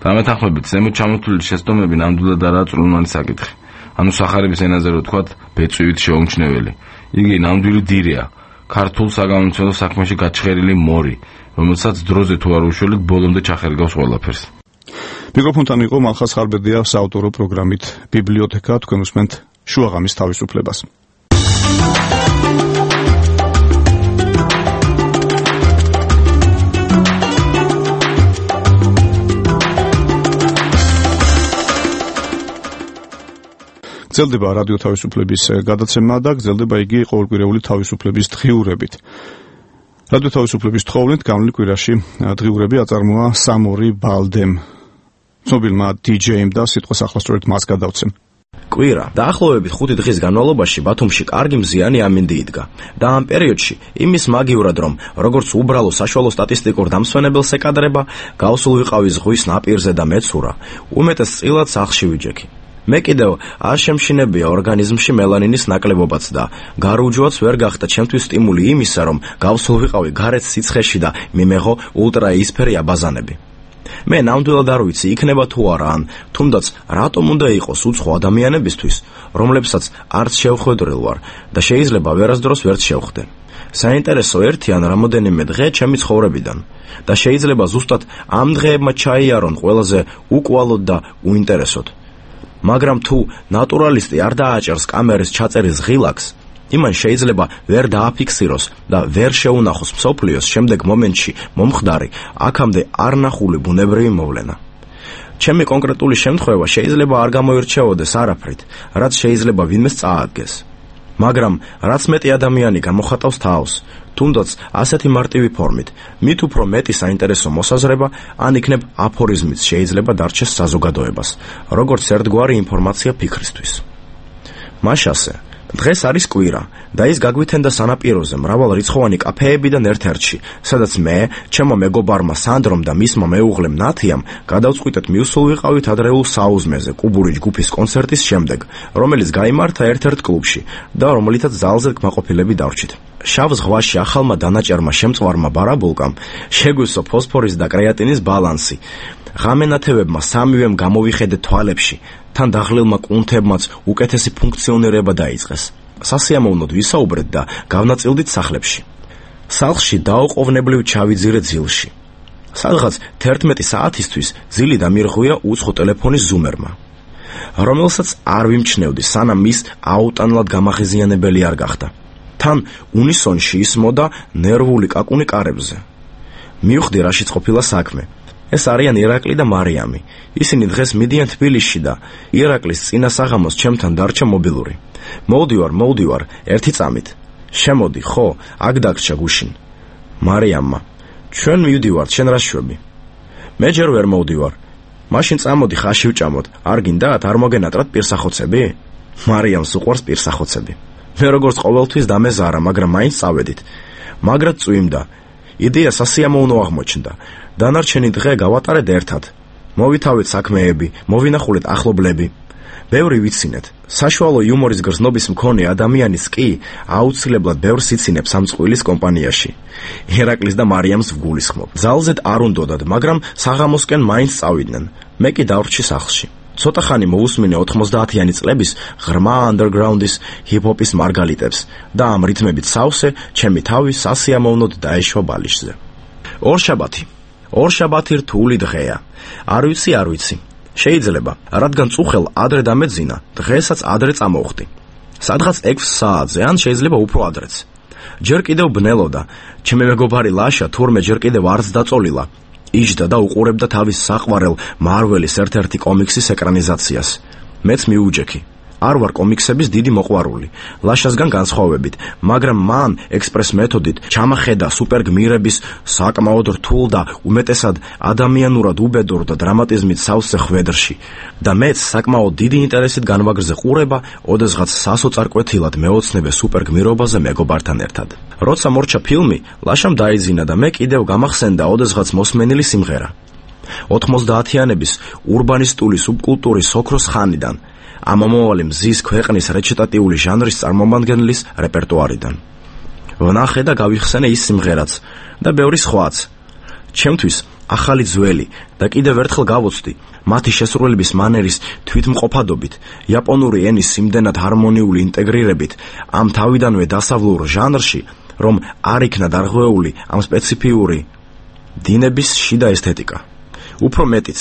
დამეთანხმებით, ზემოთ ჩამოთვლილი შეცდომები ნამდვილად არაა წვრილმანი საკითხი. სახარების ენაზე რო თქვათ, ბეწვივით შეუმჩნეველი. იგი ნამდვილი დირეა. ქართულ საგამომცემლო საქმეში გაჩხერილი მორი, რომელსაც დროზე თუ არ უშველით, ბოლომდე ჩახერგავს ყველაფერს. მიკროფონთან იყო მალხაზ ხარბედია საავტორო პროგრამით ბიბლიოთეკა. თქვენ უსმენთ შუაღამის თავისუფლებას. გრძელდება რადიო თავისუფლების გადაცემა და გრძელდება იგი ყოველკვირეული თავისუფლების დღიურებით. რადიო თავისუფლების თხოვნით გამლი კვირაში დღიურები აწარმოა სამორი ბალდემ. ცნობილმა DJ-მ და სიტყვის ახლასწორებით მას გადავცემ. კვირა დაახლოებით 5 დღის განმავლობაში ბათუმში კარგი მზიანი ამინდი იდგა და ამ პერიოდში იმის მაგივრად რომ როგორც უბრალო საშუალო სტატისტიკურ დამსვენებელს ეკადრება, გავსულ ვიყავი ზღვის ნაპირზე და მეცურა, უმეტეს წილად სახლში ვიჯექი. მე კიდევ არ შემშინებია ორგანიზმში მელანინის ნაკლებობაც და გარუჯვაც ვერ გახდა ჩემთვის სტიმული იმისა, რომ გავსულ ვიყავი გარეთ სიცხეში და მიმეღო ულტრაისფერი აბაზანები. მე ნამდვილად არ ვიცი იქნება თუ არა ან თუნდაც რატომ უნდა იყოს უცხო ადამიანებისთვის, რომლებსაც არც შევხვედრილ ვარ და შეიძლება ვერასდროს ვერც შევხვდე. საინტერესო ერთი ან რამოდენიმე დღე ჩემი ცხოვრებიდან და შეიძლება ზუსტად ამ დღეებმა ჩაიარონ ყველაზე უკვალოდ და უინტერესოდ. მაგრამ თუ ნატურალისტი არ დააჭერს კამერის ჩაწერის ღილაკს, იმან შეიძლება ვერ დააფიქსიროს და ვერ შეუნახოს მსოფლიოს შემდეგ მომენტში მომხდარი აქამდე არ ნახული ბუნებრივი მოვლენა. ჩემი კონკრეტული შემთხვევა შეიძლება არ გამოირჩეოდეს არაფრით, რაც შეიძლება ვინმეს წაადგეს. მაგრამ რაც მეტი ადამიანი გამოხატავს თავს, თუნდაც ასეთი მარტივი ფორმით, მით უფრო მეტი საინტერესო მოსაზრება ან იქნებ აფორიზმიც შეიძლება დარჩეს საზოგადოებას, როგორც ერთგვარი ინფორმაცია ფიქრისთვის. მაშასე დღეს არის კვირა და ის გაგვithენდა სანაპიროზე მრავალრიცხოვანი კაფეებიდან ერთ-ერთში, სადაც მე, ჩემო მეგობარმა სანდრომ და მისმა მეუღლემ ნათიამ გადავწყვიტეთ მივსულ ვიყავით ადრეულ საუზმეზე კუბური ჯგუფის კონცერტის შემდეგ, რომელიც გაიმართა ერთ-ერთ კლუბში და რომელიცაც ზალზე კმაყოფილები დავრჩით. შავ ზღვაში ახალმა დანაჭერმა შემწვარმა ბარაბულკამ შეგვისო ფოსფორის და კრეატინის ბალანსი. ღამენათევებმა სამივემ გამოვიხედეთ თვალებში, თან დაღლილმა კუნთებმაც უკეთესი ფუნქციონირება დაიწყეს. სასიამოვნოდ ვისაუბრეთ და გავნაწილდით სახლებში. სახლში დაუყოვნებლივ ჩავიძირე ძილში. სადღაც 11 საათისთვის ძილი დამირღვია უცხო ტელეფონის ზუმერმა, რომელსაც არ ვიმჩნევდი, სანამ ის აუტანლად გამაღიზიანებელი არ გახდა. თან უნისონში ისმოდა ნერვული კაკუნი კარებზე. მივხვდი რაშიც ყოფილა საქმე. ეს არიან ირაკლი და მარიამი. ისინი დღეს მიდიან თბილისში და ირაკლის წინა საღამოს ჩემთან დარჩა მობილური. მოვდივარ, ერთი წამით. შემოდი, ხო, აქ დაგჭა გუშინ. მარიამმა: ჩვენ მივდივართ, შენ რა შვები? მე ჯერ ვერ მოვდივარ. მაშინ წამოდი ხაში ვჭამოთ. არ გინდათ, არ მოგენატრათ პირსახოცები? მარიამს უყვარს პირსახოცები. მე როგორც ყოველთვის დამეზარა, მაგრამ მაინც წავედით. მაგრად წვიმდა. იდეა სასიამოვნო აღმოჩნდა. დანარჩენი დღე გავატარეთ ერთად. მოვითავეთ საქმეები, მოვინახულეთ ახლობლები. ბევრი ვიცინეთ. საშუალო იუმორის გრძნობის მქონე ადამიანის კი აუცილებლად ბევრს იცინებს ამ წყვილის კომპანიაში. ირაკლის და მარიამს ვგულისხმობ. ძალზედ არ უნდოდათ, მაგრამ საღამოსკენ მაინც წავიდნენ. მე კი დავრჩი სახლში. ცოტა ხანი მოусმინე 90-იანი წლების ღრმა underground-ის ჰიპ-ჰოპის მარგალიტებს და ამ რითმებით სავსე ჩემი თავი სასიამოვნოდ დაეშვა ბალიშზე. ორშაბათი რთული დღეა. არ ვიცი. შეიძლება, რადგან წუხელ ადრე დამეძინა, დღესაც ადრე წამოვხდი. სადღაც 6 საათზე, ან შეიძლება უფრო ადრეც. ჯერ კიდევ ბნელოდა. ჩემი მეგობარი ლაშა თურმე ჯერ კიდევ არც დაწოლილა. იჯდა და უყურებდა თავის საყვარელ მარველის ერთ-ერთი კომიქსის ეკრანიზაციას. მეც მიუჯექი. არ ვარ კომიქსების დიდი მოყვარული, ლაშასგან განსხვავებით, მაგრამ მან ექსპრეს მეთოდით ჩამახედა სუპერგმირების საკმაოდ რთულ და უმეტესად ადამიანურად უბედურ და დრამატიზმით სავსე ხვედრში და მეც საკმაოდ დიდი ინტერესით განვაგრძე ყურება, ოდესღაც სასოწარკვეთილად მეოცნებე სუპერგმირობაზე მეგობართან ერთად. როცა მორჩა ფილმი, ლაშამ დაიძინა და მე კიდევ გამახსენდა ოდესღაც მოსმენილი სიმღერა. 90-იანების ურბანისტული სუბკულტურის ოქროს ხანიდან, ამომავალი მზის ქვეყნის რეჩიტატიული ჟანრის წარმომადგენლის რეპერტუარიდან. ვნახე და გავიხსენე ის სიმღერაც და ბევრი სხვაც. ჩემთვის ახალი ძველი და კიდევ ერთხელ გავოცდი მათი შესრულების მანერის თვითმყოფადობით, იაპონური ენის იმდენად ჰარმონიული ინტეგრირებით ამ თავიდანვე დასავლურ ჟანრში, რომ არ იქნა დარღვეული ამ სპეციფიური დინების შიდა ესთეტიკა. უფრო მეტიც,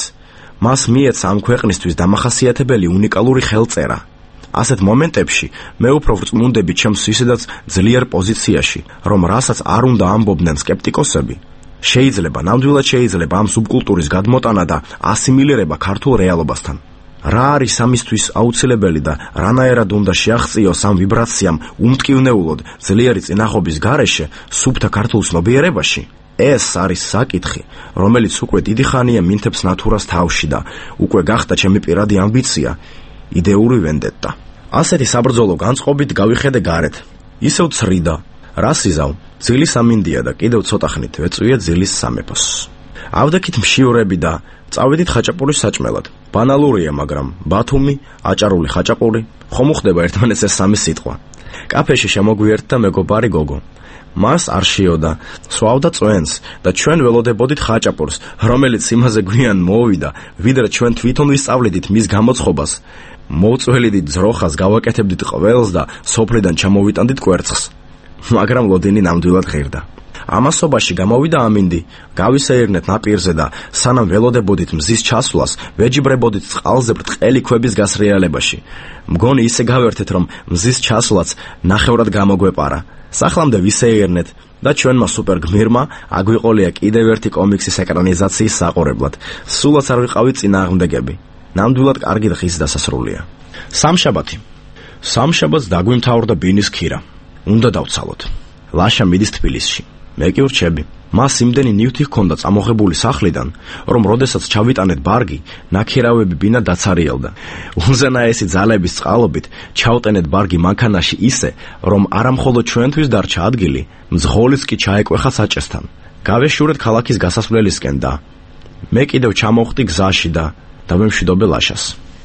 მას მიეცა ამ ქვეყნისთვის დამახასიათებელი უნიკალური ხელწერა. ასეთ მომენტებში მე უფრო ვწმუნდები ჩემს ისედაც ძლიერ პოზიციაში, რომ რასაც არ უნდა ამბობდნენ სკეპტიკოსები, ნამდვილად შეიძლება ამ სუბკულტურის გადმოტანა და ასიმილირება ქართულ რეალობასთან. რა არის ამისთვის აუცილებელი და რანაირად უნდა შეაღწიოს ამ ვიბრაციამ უმტკივნეულოდ ძლიერი წინახობის გარეშე სუფთა ქართულ ცნობიერებაში? ეს არის საკითხი, რომელიც უკვე დიდი ხანია მინთებს ნათურას თავში და უკვე გახდა ჩემი პირადი ამბიცია, იდეური ვენდეტა. ასეთი საბრძოლო განწყობით გავიხედე გარეთ. ისევ ცრიდა, რა სიზავ, ძილის ამინდია და კიდევ ცოტა ხნით ვეწვია ძილის სამეფოს. ავდექით მშივრები და წავედით ხაჭაპურის საჭმელად. ბანალურია, მაგრამ ბათუმი, აჭარული ხაჭაპური, ხომ უხდება ერთმანეთს ეს სამი სიტყვა. კაფეში შემოგვიერთდა მეგობარი გოგო. მას არ შეოდა, სვავდა წვენს და ჩვენ ველოდებოდით ხაჭაპურს, რომელიც იმაზე გვიან მოვიდა, ვიდრე ჩვენ თვითონ ვისწავლედით მის გამოცხობას. მოვწველიდით ძროხას, გავაკეთებდით ყველს და სოფლიდან ჩამოვიტანდით კვერცხს. მაგრამ ლოდინი ნამდვილად ღირდა. ამასობაში გამოვიდა ამინდი, გავისეირნეთ ნაპირზე და სანამ ველოდებოდით მზის ჩასვლას, ვეჯიბრებოდით წყალზე ბრტყელი ქვების გასრიალებაში. მგონი ისე გავერთეთ, რომ მზის ჩასვლაც ნახევრად გამოგვეპარა. სახლამდე ვისეირნეთ და ჩვენმა სუპერ გმირმა აგვიყოლია კიდევ ერთი კომიქსის ეკრანიზაციის საყურებლად. სულაც არ ვიყავი წინააღმდეგები. ნამდვილად კარგი დღის დასასრულია. სამშაბათს დაგვიმთავრდა ბინის ქირა. უნდა დავცალოთ. ლაშა მიდის თბილისში. მე კი ვრჩები. მას იმდენი ნივთი ჰქონდა წამოღებული სახლიდან, რომ როდესაც ჩავიტანეთ ბარგი, ნაქირავები ბინა დაცარიელდა. უზენაესი ძალების წყალობით ჩავტენეთ ბარგი მანქანაში ისე, რომ არამხოლოდ ჩვენთვის დარჩა ადგილი, მძღოლიც კი ჩაეკვეხა საჭესთან. გავეშურეთ ქალაქის გასასვლელისკენ და მე კიდევ ჩამოვხდი გზაში და დავემშვიდობე ლაშას.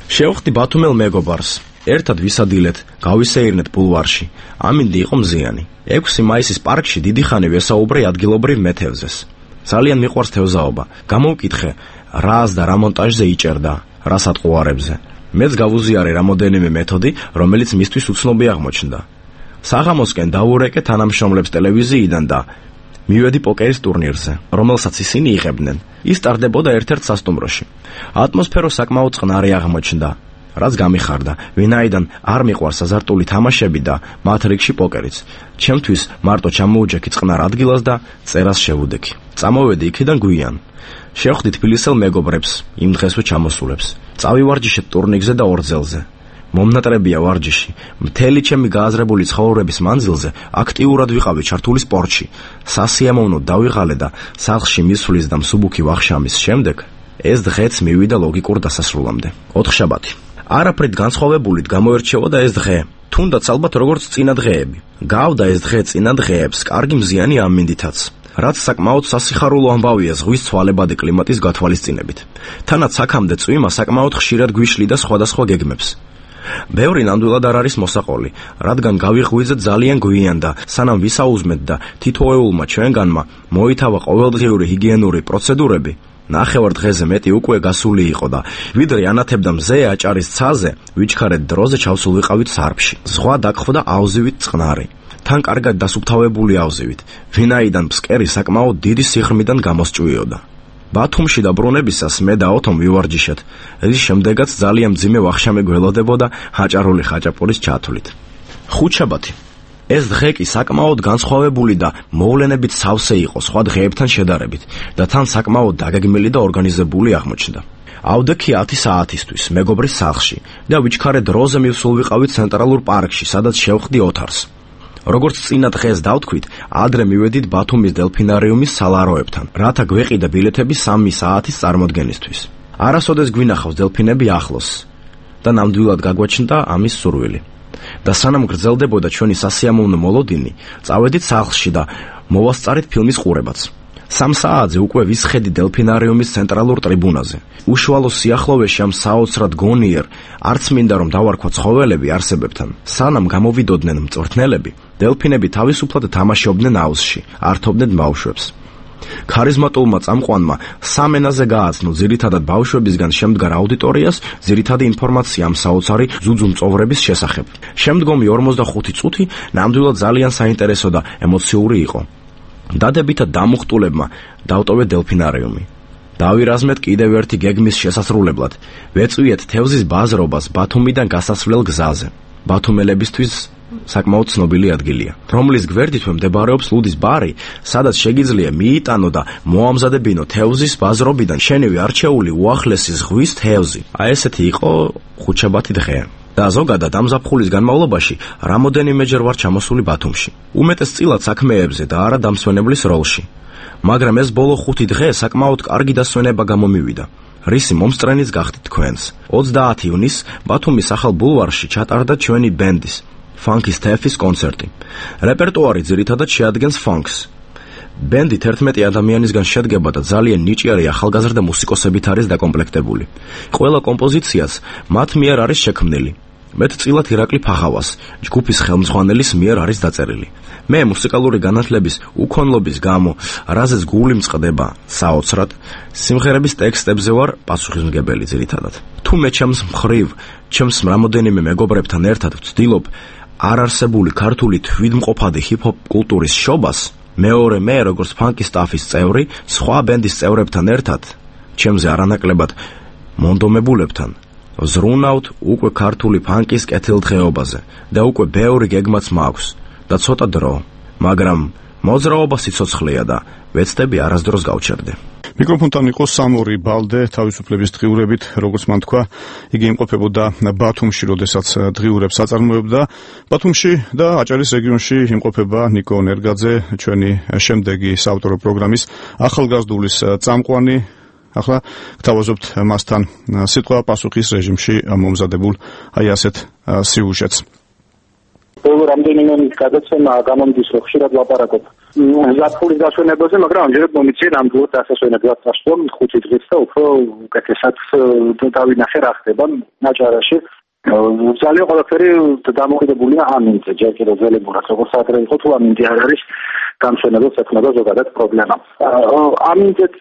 შევხვდი ბათუმელ მეგობარს. ერთად ვისადილეთ, გავისეირნეთ ბულვარში. ამინდი იყო მზიანი. 6 მაისის პარკში დიდი ხანი ვესაუბრე ადგილობრივ მეთევზეს. ძალიან მიყვარს თევზაობა. გამოვკითხე, რას და რა მონტაჟზე იჭერდა, რა სატყუარებზე. მეც გავუზიარე რამოდენიმე მეთოდი, რომელიც მისთვის უცნობი აღმოჩნდა. საღამოსკენ დავურეკე თანამშრომლებს ტელევიზიიდან და მივედი პოკერის ტურნირზე, რომელსაც ისინი იღებდნენ. ის ტარდებოდა ერთ-ერთ სასტუმროში. ატმოსფერო საკმაოდ წყნარი აღმოჩნდა, რაც გამიხარდა, ვინაიდან არ მიყვარს აზარტული თამაშები და მათ რიგში პოკერიც. ჩემთვის მარტო ჩამოუჯექი წყნარ ადგილას და წერას შევუდექი. წამოვედი იქიდან გვიან. შევხვდი თბილისელ მეგობრებს, იმ დღესვე ჩამოსულებს. წავივარჯიშეთ ტურნირზე და ორძელზე. მომნატრებია ვარჯიში. მთელი ჩემი გააზრებული ცხოვრების მანძილზე აქტიურად ვიყავი ჩართული სპორტში. სასიამოვნოდ დავიღალე და სახლში მისვლის და მსუბუქი ვახშამის შემდეგ ეს დღეც მივიდა ლოგიკურ დასასრულამდე. 4 შაბათი. არაფრით განსხვავებულით გამოერჩეოდა ეს დღე. თუნდაც ალბათ როგორც წინა დღეები. გავდა ეს დღე წინა დღეებს კარგი მზიანი ამინდითაც. რაც საკმაოდ სასიხარულო ამბავია ზღვის ცვალებადი კლიმატის გათვალისწინებით. თანაც აქამდე წვიმა საკმაოდ ხშირად გვიშლიდა სხვადასხვა გეგმებს. ბევრი ნამდვილად არ არის მოსაყოლი, რადგან გავიღვიძეთ ძალიან გვიან და სანამ ვისაუზმეთ და თითოეულმა ჩვენგანმა მოითავა ყოველდღიური ჰიგიენური პროცედურები, ნახევარ დღეზე მეტი უკვე გასული იყო და ვიდრე ანათებდა მზე აჭარის ცაზე, ვიჩქარეთ დროზე ჩავსულ ვიყავით სარფში. ზღვა დაგხვდა აუზივით წყნარი. თან კარგად დასუფთავებული აუზივით, ვინაიდან ფსკერი საკმაოდ დიდი სიღრმიდან გამოსჭვიოდა. ბათუმში დაბრუნებისას მე და ოთომ ვივარჯიშეთ, რის შემდეგაც ძალიან მძიმე ვახშამი გველოდებოდა აჭარული ხაჭაპურის ჩათვლით. 5 შაბათი. ეს დღე კი საკმაოდ განსხვავებული და მოვლენებით სავსე იყო სხვა დღეებთან შედარებით და თან საკმაოდ დაგეგმილი და ორგანიზებული აღმოჩნდა. ავდექი 10 საათისთვის მეგობრის სახლში და ვიჩქარე დროზე მივსულ ვიყავით ცენტრალურ პარკში, სადაც შევხვდი ოთარს. როგორც წინა დღეს დავთქვით, ადრე მივედით ბათუმის დელფინარიუმის სალაროებთან, რათა გვეყიდა ბილეთები 3 საათის წარმოდგენისთვის. არასოდეს გვინახავს დელფინები ახლოს და ნამდვილად გაგვაჩნდა ამის სურვილი. და სანამ გრძელდებოდა ჩვენი სასიამოვნო მოლოდინი, წავედით სახლში და მოვასწარით ფილმის ყურებაც. 3 საათზე უკვე ვისხედი დელფინარიუმის ცენტრალურ ტრიბუნაზე. უშუალო სიახლოვეში ამ საოცრად გონიერ, არც მინდა რომ დავარქვა ცხოველები არსებებთან. სანამ გამოვიდოდნენ მწვრთნელები, დელფინები თავისუფლად თამაშობდნენ აუზში, ართობდნენ ბავშვებს. ქარიზმატულმა წამყვანმა სამენაზე გააცნო ძირითადად ბავშვებისგან შემდგარ აუდიტორიას ძირითადი ინფორმაცია ამ საოცარი ძუძუმწოვრების შესახებ. შემდგომი 45 წუთი ნამდვილად ძალიან საინტერესო და ემოციური იყო. დადებითად დამუხტულებმა დავტოვე დელფინარიუმი. დავირაზმეთ კიდევ ერთი გეგმის შესასრულებლად. ვეწვიეთ თევზის ბაზრობას ბათუმიდან გასასვლელ გზაზე. ბათუმელებისთვის საკმაოდ ცნობილი ადგილია, რომლის გვერდითვე მდებარეობს ლუდის ბარი, სადაც შეგიძლია მიიტანო და მოამზადებინო თევზის ბაზრობიდან შენივი არჩეული უახლესი ზღვის თევზი. აი ესეთი იყო ხუთშაბათი დღე. და ზოგადად ამ ზაფხულის განმავლობაში რამოდენიმეჯერ ვარ ჩამოსული ბათუმში. უმეტესწილად საქმეებზე და არა დამსვენებლის როლში. მაგრამ ეს ბოლო 5 დღე საკმაოდ კარგი დასვენება გამომივიდა. რისი მომსწრენიც გახდით თქვენს. 30 ივნისს ბათუმის ახალ ბულვარში ჩატარდა ჩვენი ბენდის ფანკის თეფის კონცერტი. რეპერტუარი ძირითადად შეადგენს ფანკს. ბენდი 11 ადამიანისგან შედგება და ძალიან ნიჭიერი ახალგაზრდა მუსიკოსებით არის დაკომპლექტებული. ყველა კომპოზიციაც მათ მიერ არის შექმნილი. მეტწილად ირაკლი ფაღავას, ჯგუფის ხელმძღვანელის მიერ არის დაწერილი. მე მუსიკალური განათლების უქონლობის გამო, რაზეც გული მწყდება საოცრად, სიმღერების ტექსტებზე ვარ პასუხისმგებელი ძირითადად. თუ მე ჩემს მხრივ, ჩემს რამოდენიმე მეგობრებთან ერთად ვცდილობ არარსებული ქართული თვითმყოფადი ჰიპ-ჰოპ კულტურის შობას, მეორე მე, როგორც ფანკის სტაფის წევრი, სხვა ბენდის წევრებთან ერთად, ჩემზე არანაკლებად მონდომებულებთან ზრუნავთ უკვე ქართული ფანკის კეთილდღეობაზე და უკვე ბევრი გეგმაც მაქვს და ცოტა დრო, მაგრამ მოძრაობა სიცოცხლეა და ვეცდები არასდროს გავჩერდე. მიკროფონთან იყო სამორი ბალდე თავისუფლების დღიურებით, როგორც მან თქვა, იგი იმყოფებოდა ბათუმში, როდესაც დღიურებს აწარმოებდა. ბათუმში და აჭარის რეგიონში იმყოფება ნიკო ნერგაძე, ჩვენი შემდეგი საავტორო პროგრამის ახალგაზრდულის წამყვანი. ახლა გთავაზობთ მასთან სიტყვა პასუხის რეჟიმში მომზადებულ აი ასეთ სიუჟეტს. ბოლო რამდენიმე გადაცემა გამომდის, რომ ხშირად ლაპარაკობ ზაფხულის დასვენებაზე, მაგრამ ამჯერად მომიწია ნამდვილად დასასვენებლად წასვლა 5 დღით და უფრო უკეთესად დავინახე რა ხდება აჭარაში. ძალიან ყველაფერი დამოკიდებულია ამინდზე, ჯერ კიდევ ძველებურად, როგორც ადრე იყო, თუ ამინდი არ არის დამსვენებელს ეკნება ზოგადად პრობლემა. ამინდზეც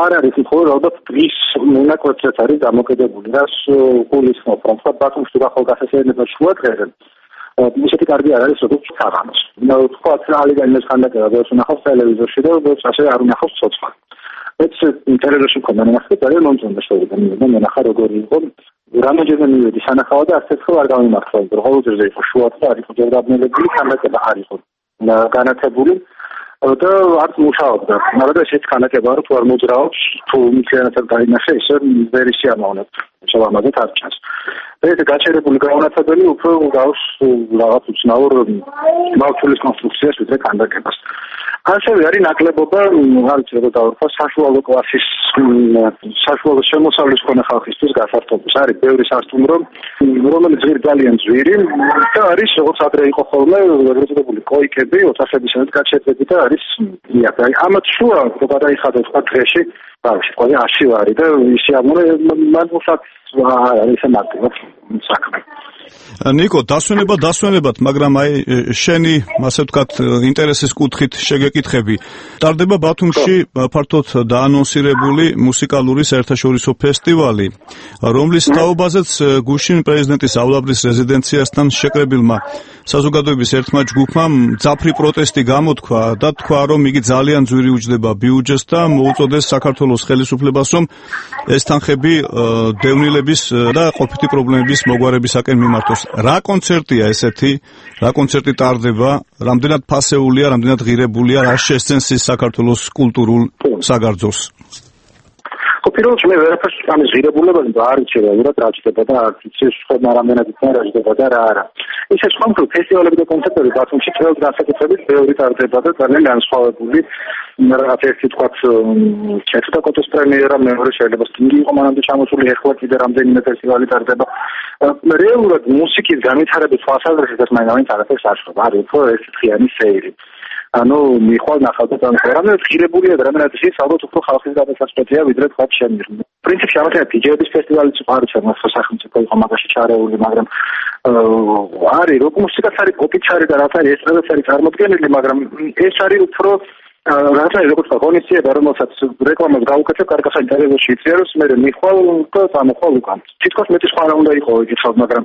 არ არის მხოლოდ ალბათ დღის მონაკვეთზეც არის დამოკიდებული, რაც გულისხმობ, რომ ბათუმში თუ ახალგაზრდობა შუა დღეზე ისეთი კარგი არ არის, როგორც საღამოს. თქვა ალიგან ეს ხანდაკება ბევრს უნახავს ტელევიზორში და ბევრს ასე არ უნახავს ცოცხლად. ეს ტელევიზორში მქონდა ნახე, ძალიან მომწონდა შევიდა და ნახა როგორი იყო. რამაჯერმე მივედი სანახავად და ასეთ ხო არ გამიმართლა, რომ ყოველდღე იყო შუა და არ იყო ჯერდაბნელებული, ხანდაკება არ იყო განათებული და არც მუშაობდა. მაგრამ ესეც ხანდაკება რომ თუ არ მოძრაობს, თუ მთლიანად დაინახე, ისე ვერ ისიამოვნებ. შევამაძეთ არ ჩანს. ეს გაჩერებული განათებელი უფრო გავს რაღაც უცნაურ მავთულის კონსტრუქციას ვიდრე ხანდაკებას. ასევე არის ნაკლებობა, არ ვიცი როგორ დავარქვა, საშუალო კლასის საშუალო შემოსავლის მქონე ხალხისთვის გასართობი. არის ბევრი სასტუმრო, რომელიც ძალიან ძვირი და არის როგორც ადრე იყო ხოლმე ეგრეთებული კოიკები, ოთახებისადმი გაჩერდები და არის იაფი. ამათ შუა რო გადაიხადოთ სხვა დღეში, ბავშვი ყველა 100 ვარი და ისე ამორე მან უსაც არის ამარტივად საქმე. ნიკო, დასვენებად, მაგრამ აი შენი, ასე ვთქვათ, ინტერესის კუთხით შეგეკითხები. ტარდება ბათუმში ფართოდ დაანონსირებული მუსიკალური საერთაშორისო ფესტივალი, რომლის თაობაზეც გუშინ პრეზიდენტის ავლაბრის რეზიდენციასთან შეკრებილმა საზოგადოების ერთმა ჯგუფმა მძაფრი პროტესტი გამოთქვა და თქვა, რომ იგი ძალიან ძვირი უჯდება ბიუჯეტს და მოუწოდეს საქართველოს ხელისუფლებას, რომ ეს თანხები დევნილების და ყოფითი პრობლემების მოგვარებისაკენ მიმართოს. რა კონცერტია ესეთი? რა კონცერტი ტარდება? რამდენად ფასეულია, რამდენად ღირებულია, რა შესცენს ის საქართველოს კულტურულ საგარძოს? პირველში მე ვერაფერს ამის ღირებულებაზე არ ვიცი რა ჭირდება და არ ვიცი სხვა რამდენად იქნება რა ჭირდება და რა არა. ისე სხვა ფესტივალები და კონცერტები ბათუმში წელს განსაკუთრებით ბევრი ტარდება და ძალიან განსხვავებული რაღაც ერთი თქვათ ჩეთუტაკოტოს პრემიერა, მეორე შეიძლება სტინგი იყო მანამდე ჩამოსული, ეხლა კიდე რამდენიმე ფესტივალი ტარდება. რეალურად მუსიკის განვითარების თვალსაზრისით მაინც არაფერს არ შვება. არის უფრო ერთი დღიანი სეირი. ანუ მიხვალ ნახავდა და რამდენად ღირებულია და რამდენად ის ალბათ უფრო ხალხის გადასაწყვეტია ვიდრე თქვა ჩემი. პრინციპში ამათია დიჯეების ფესტივალიც არის ამას სახელმწიფო იყო მაგაში ჩარეული, მაგრამ არის როკ მუსიკაც არის, პოპიც არის და რაც არის ესტრადაც არის წარმოდგენილი, მაგრამ ეს არის უფრო რაღაცა როგორც ღონისძიება, რომელსაც რეკლამას გაუკეთებ, კარგასა ინტერვიუში იწიეროს, მე მიხვალ და წამოხვალ უკან. თითქოს მეტი სხვა რა უნდა იყო იგიცავ, მაგრამ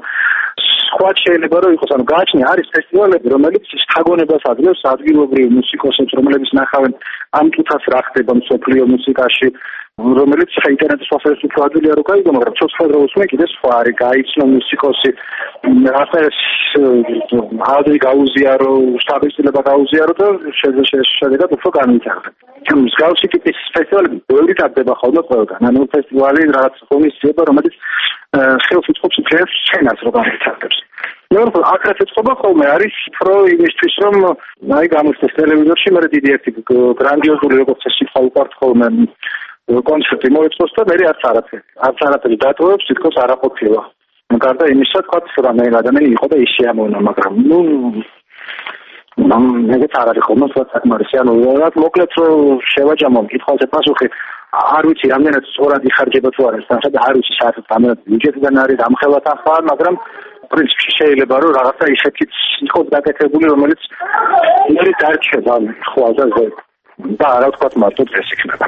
სხვა შეიძლება რომ იყოს, ანუ გააჩნია არის ფესტივალები, რომელიც შთაგონებას აძლევს ადგილობრივ მუსიკოსებს, რომლებიც ნახავენ ამ კითხვას რა ხდება მსოფლიო მუსიკაში, რომელიც საინტერნეტო სოფტვერის უფრო ადვილია რო გაიგო, მაგრამ ცოცხალდღეობს მე კიდე სხვა არის, გაიცნო მუსიკოსი, რასაერს აუდიო გაუზიარო, სტაბილიზება გაუზიარო და შედეგად უფრო განვითარდა. მსგავსი ტიპის ფესტივალები ბევრი ტარდება ხოლმე ყველგან. ანუ ფესტივალი რაღაც ღონისძიება, რომელიც ხელს უწყობს მთელ სცენას რო განვითარდებს. მეორე აგრეთვე წყობა ხოლმე არის უფრო იმისთვის, რომ აი გამოსცეს ტელევიზორში, მე დიდი ერთი გრანდიოზული როგორც ეს სიტყვა უყვართ ხოლმე კონცერტი მოეწყოს და მე არც არაფერი დატოვებს, თითქოს არ აყოფილა. გარდა იმისა, თქვა რომ ადამიანი იყო და ის შეამოვნა, მაგრამ ეგეც არ არის ხოლმე საკმარისი. ანუ რაღაც მოკლედ რომ შევაჯამო კითხვაზე პასუხი, არ ვიცი რამდენად სწორად იხარჯება თუ არა, და არ ვიცი საერთოდ რამდენად ბიუჯეტიდან არის ამხელად ახლა, მაგრამ პრინციპში შეიძლება რომ რაღაცა ისეთიც იყოს გაკეთებული, რომელიც მე დარჩება ხვალდაზე და არა თქვა მარტო ეს იქნება.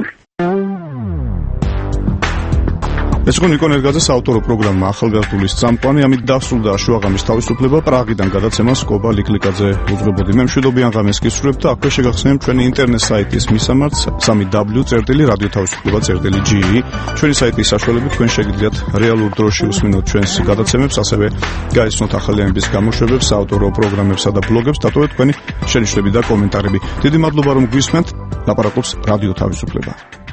ეს იყო ნიკო ნერგაძეს ავტორო პროგრამა ახალგაზრდული წამყვანი, ამით დასრულდა შუაღამის თავისუფლება. პრაღიდან გადაცემას კობა ლიკლიკაძე უძღვებოდი. მე მშვიდობიან ღამეს გისურვებთ და აქვე შეგახსენებთ ჩვენი ინტერნეტ საიტის მისამართს www.radiotavisufleba.ge. ჩვენი საიტის საშუალებით თქვენ შეგიძლიათ რეალურ დროში უსმინოთ ჩვენს გადაცემებს, ასევე გაიცნოთ ახალი ამბის გამოშვებებს, საავტორო პროგრამებსა და ბლოგებს, დატოვეთ თქვენი შენიშვნები და კომენტარები. დიდი მადლობა რომ გვისმენთ. ლაპარაკობს რადიო თავისუფლება.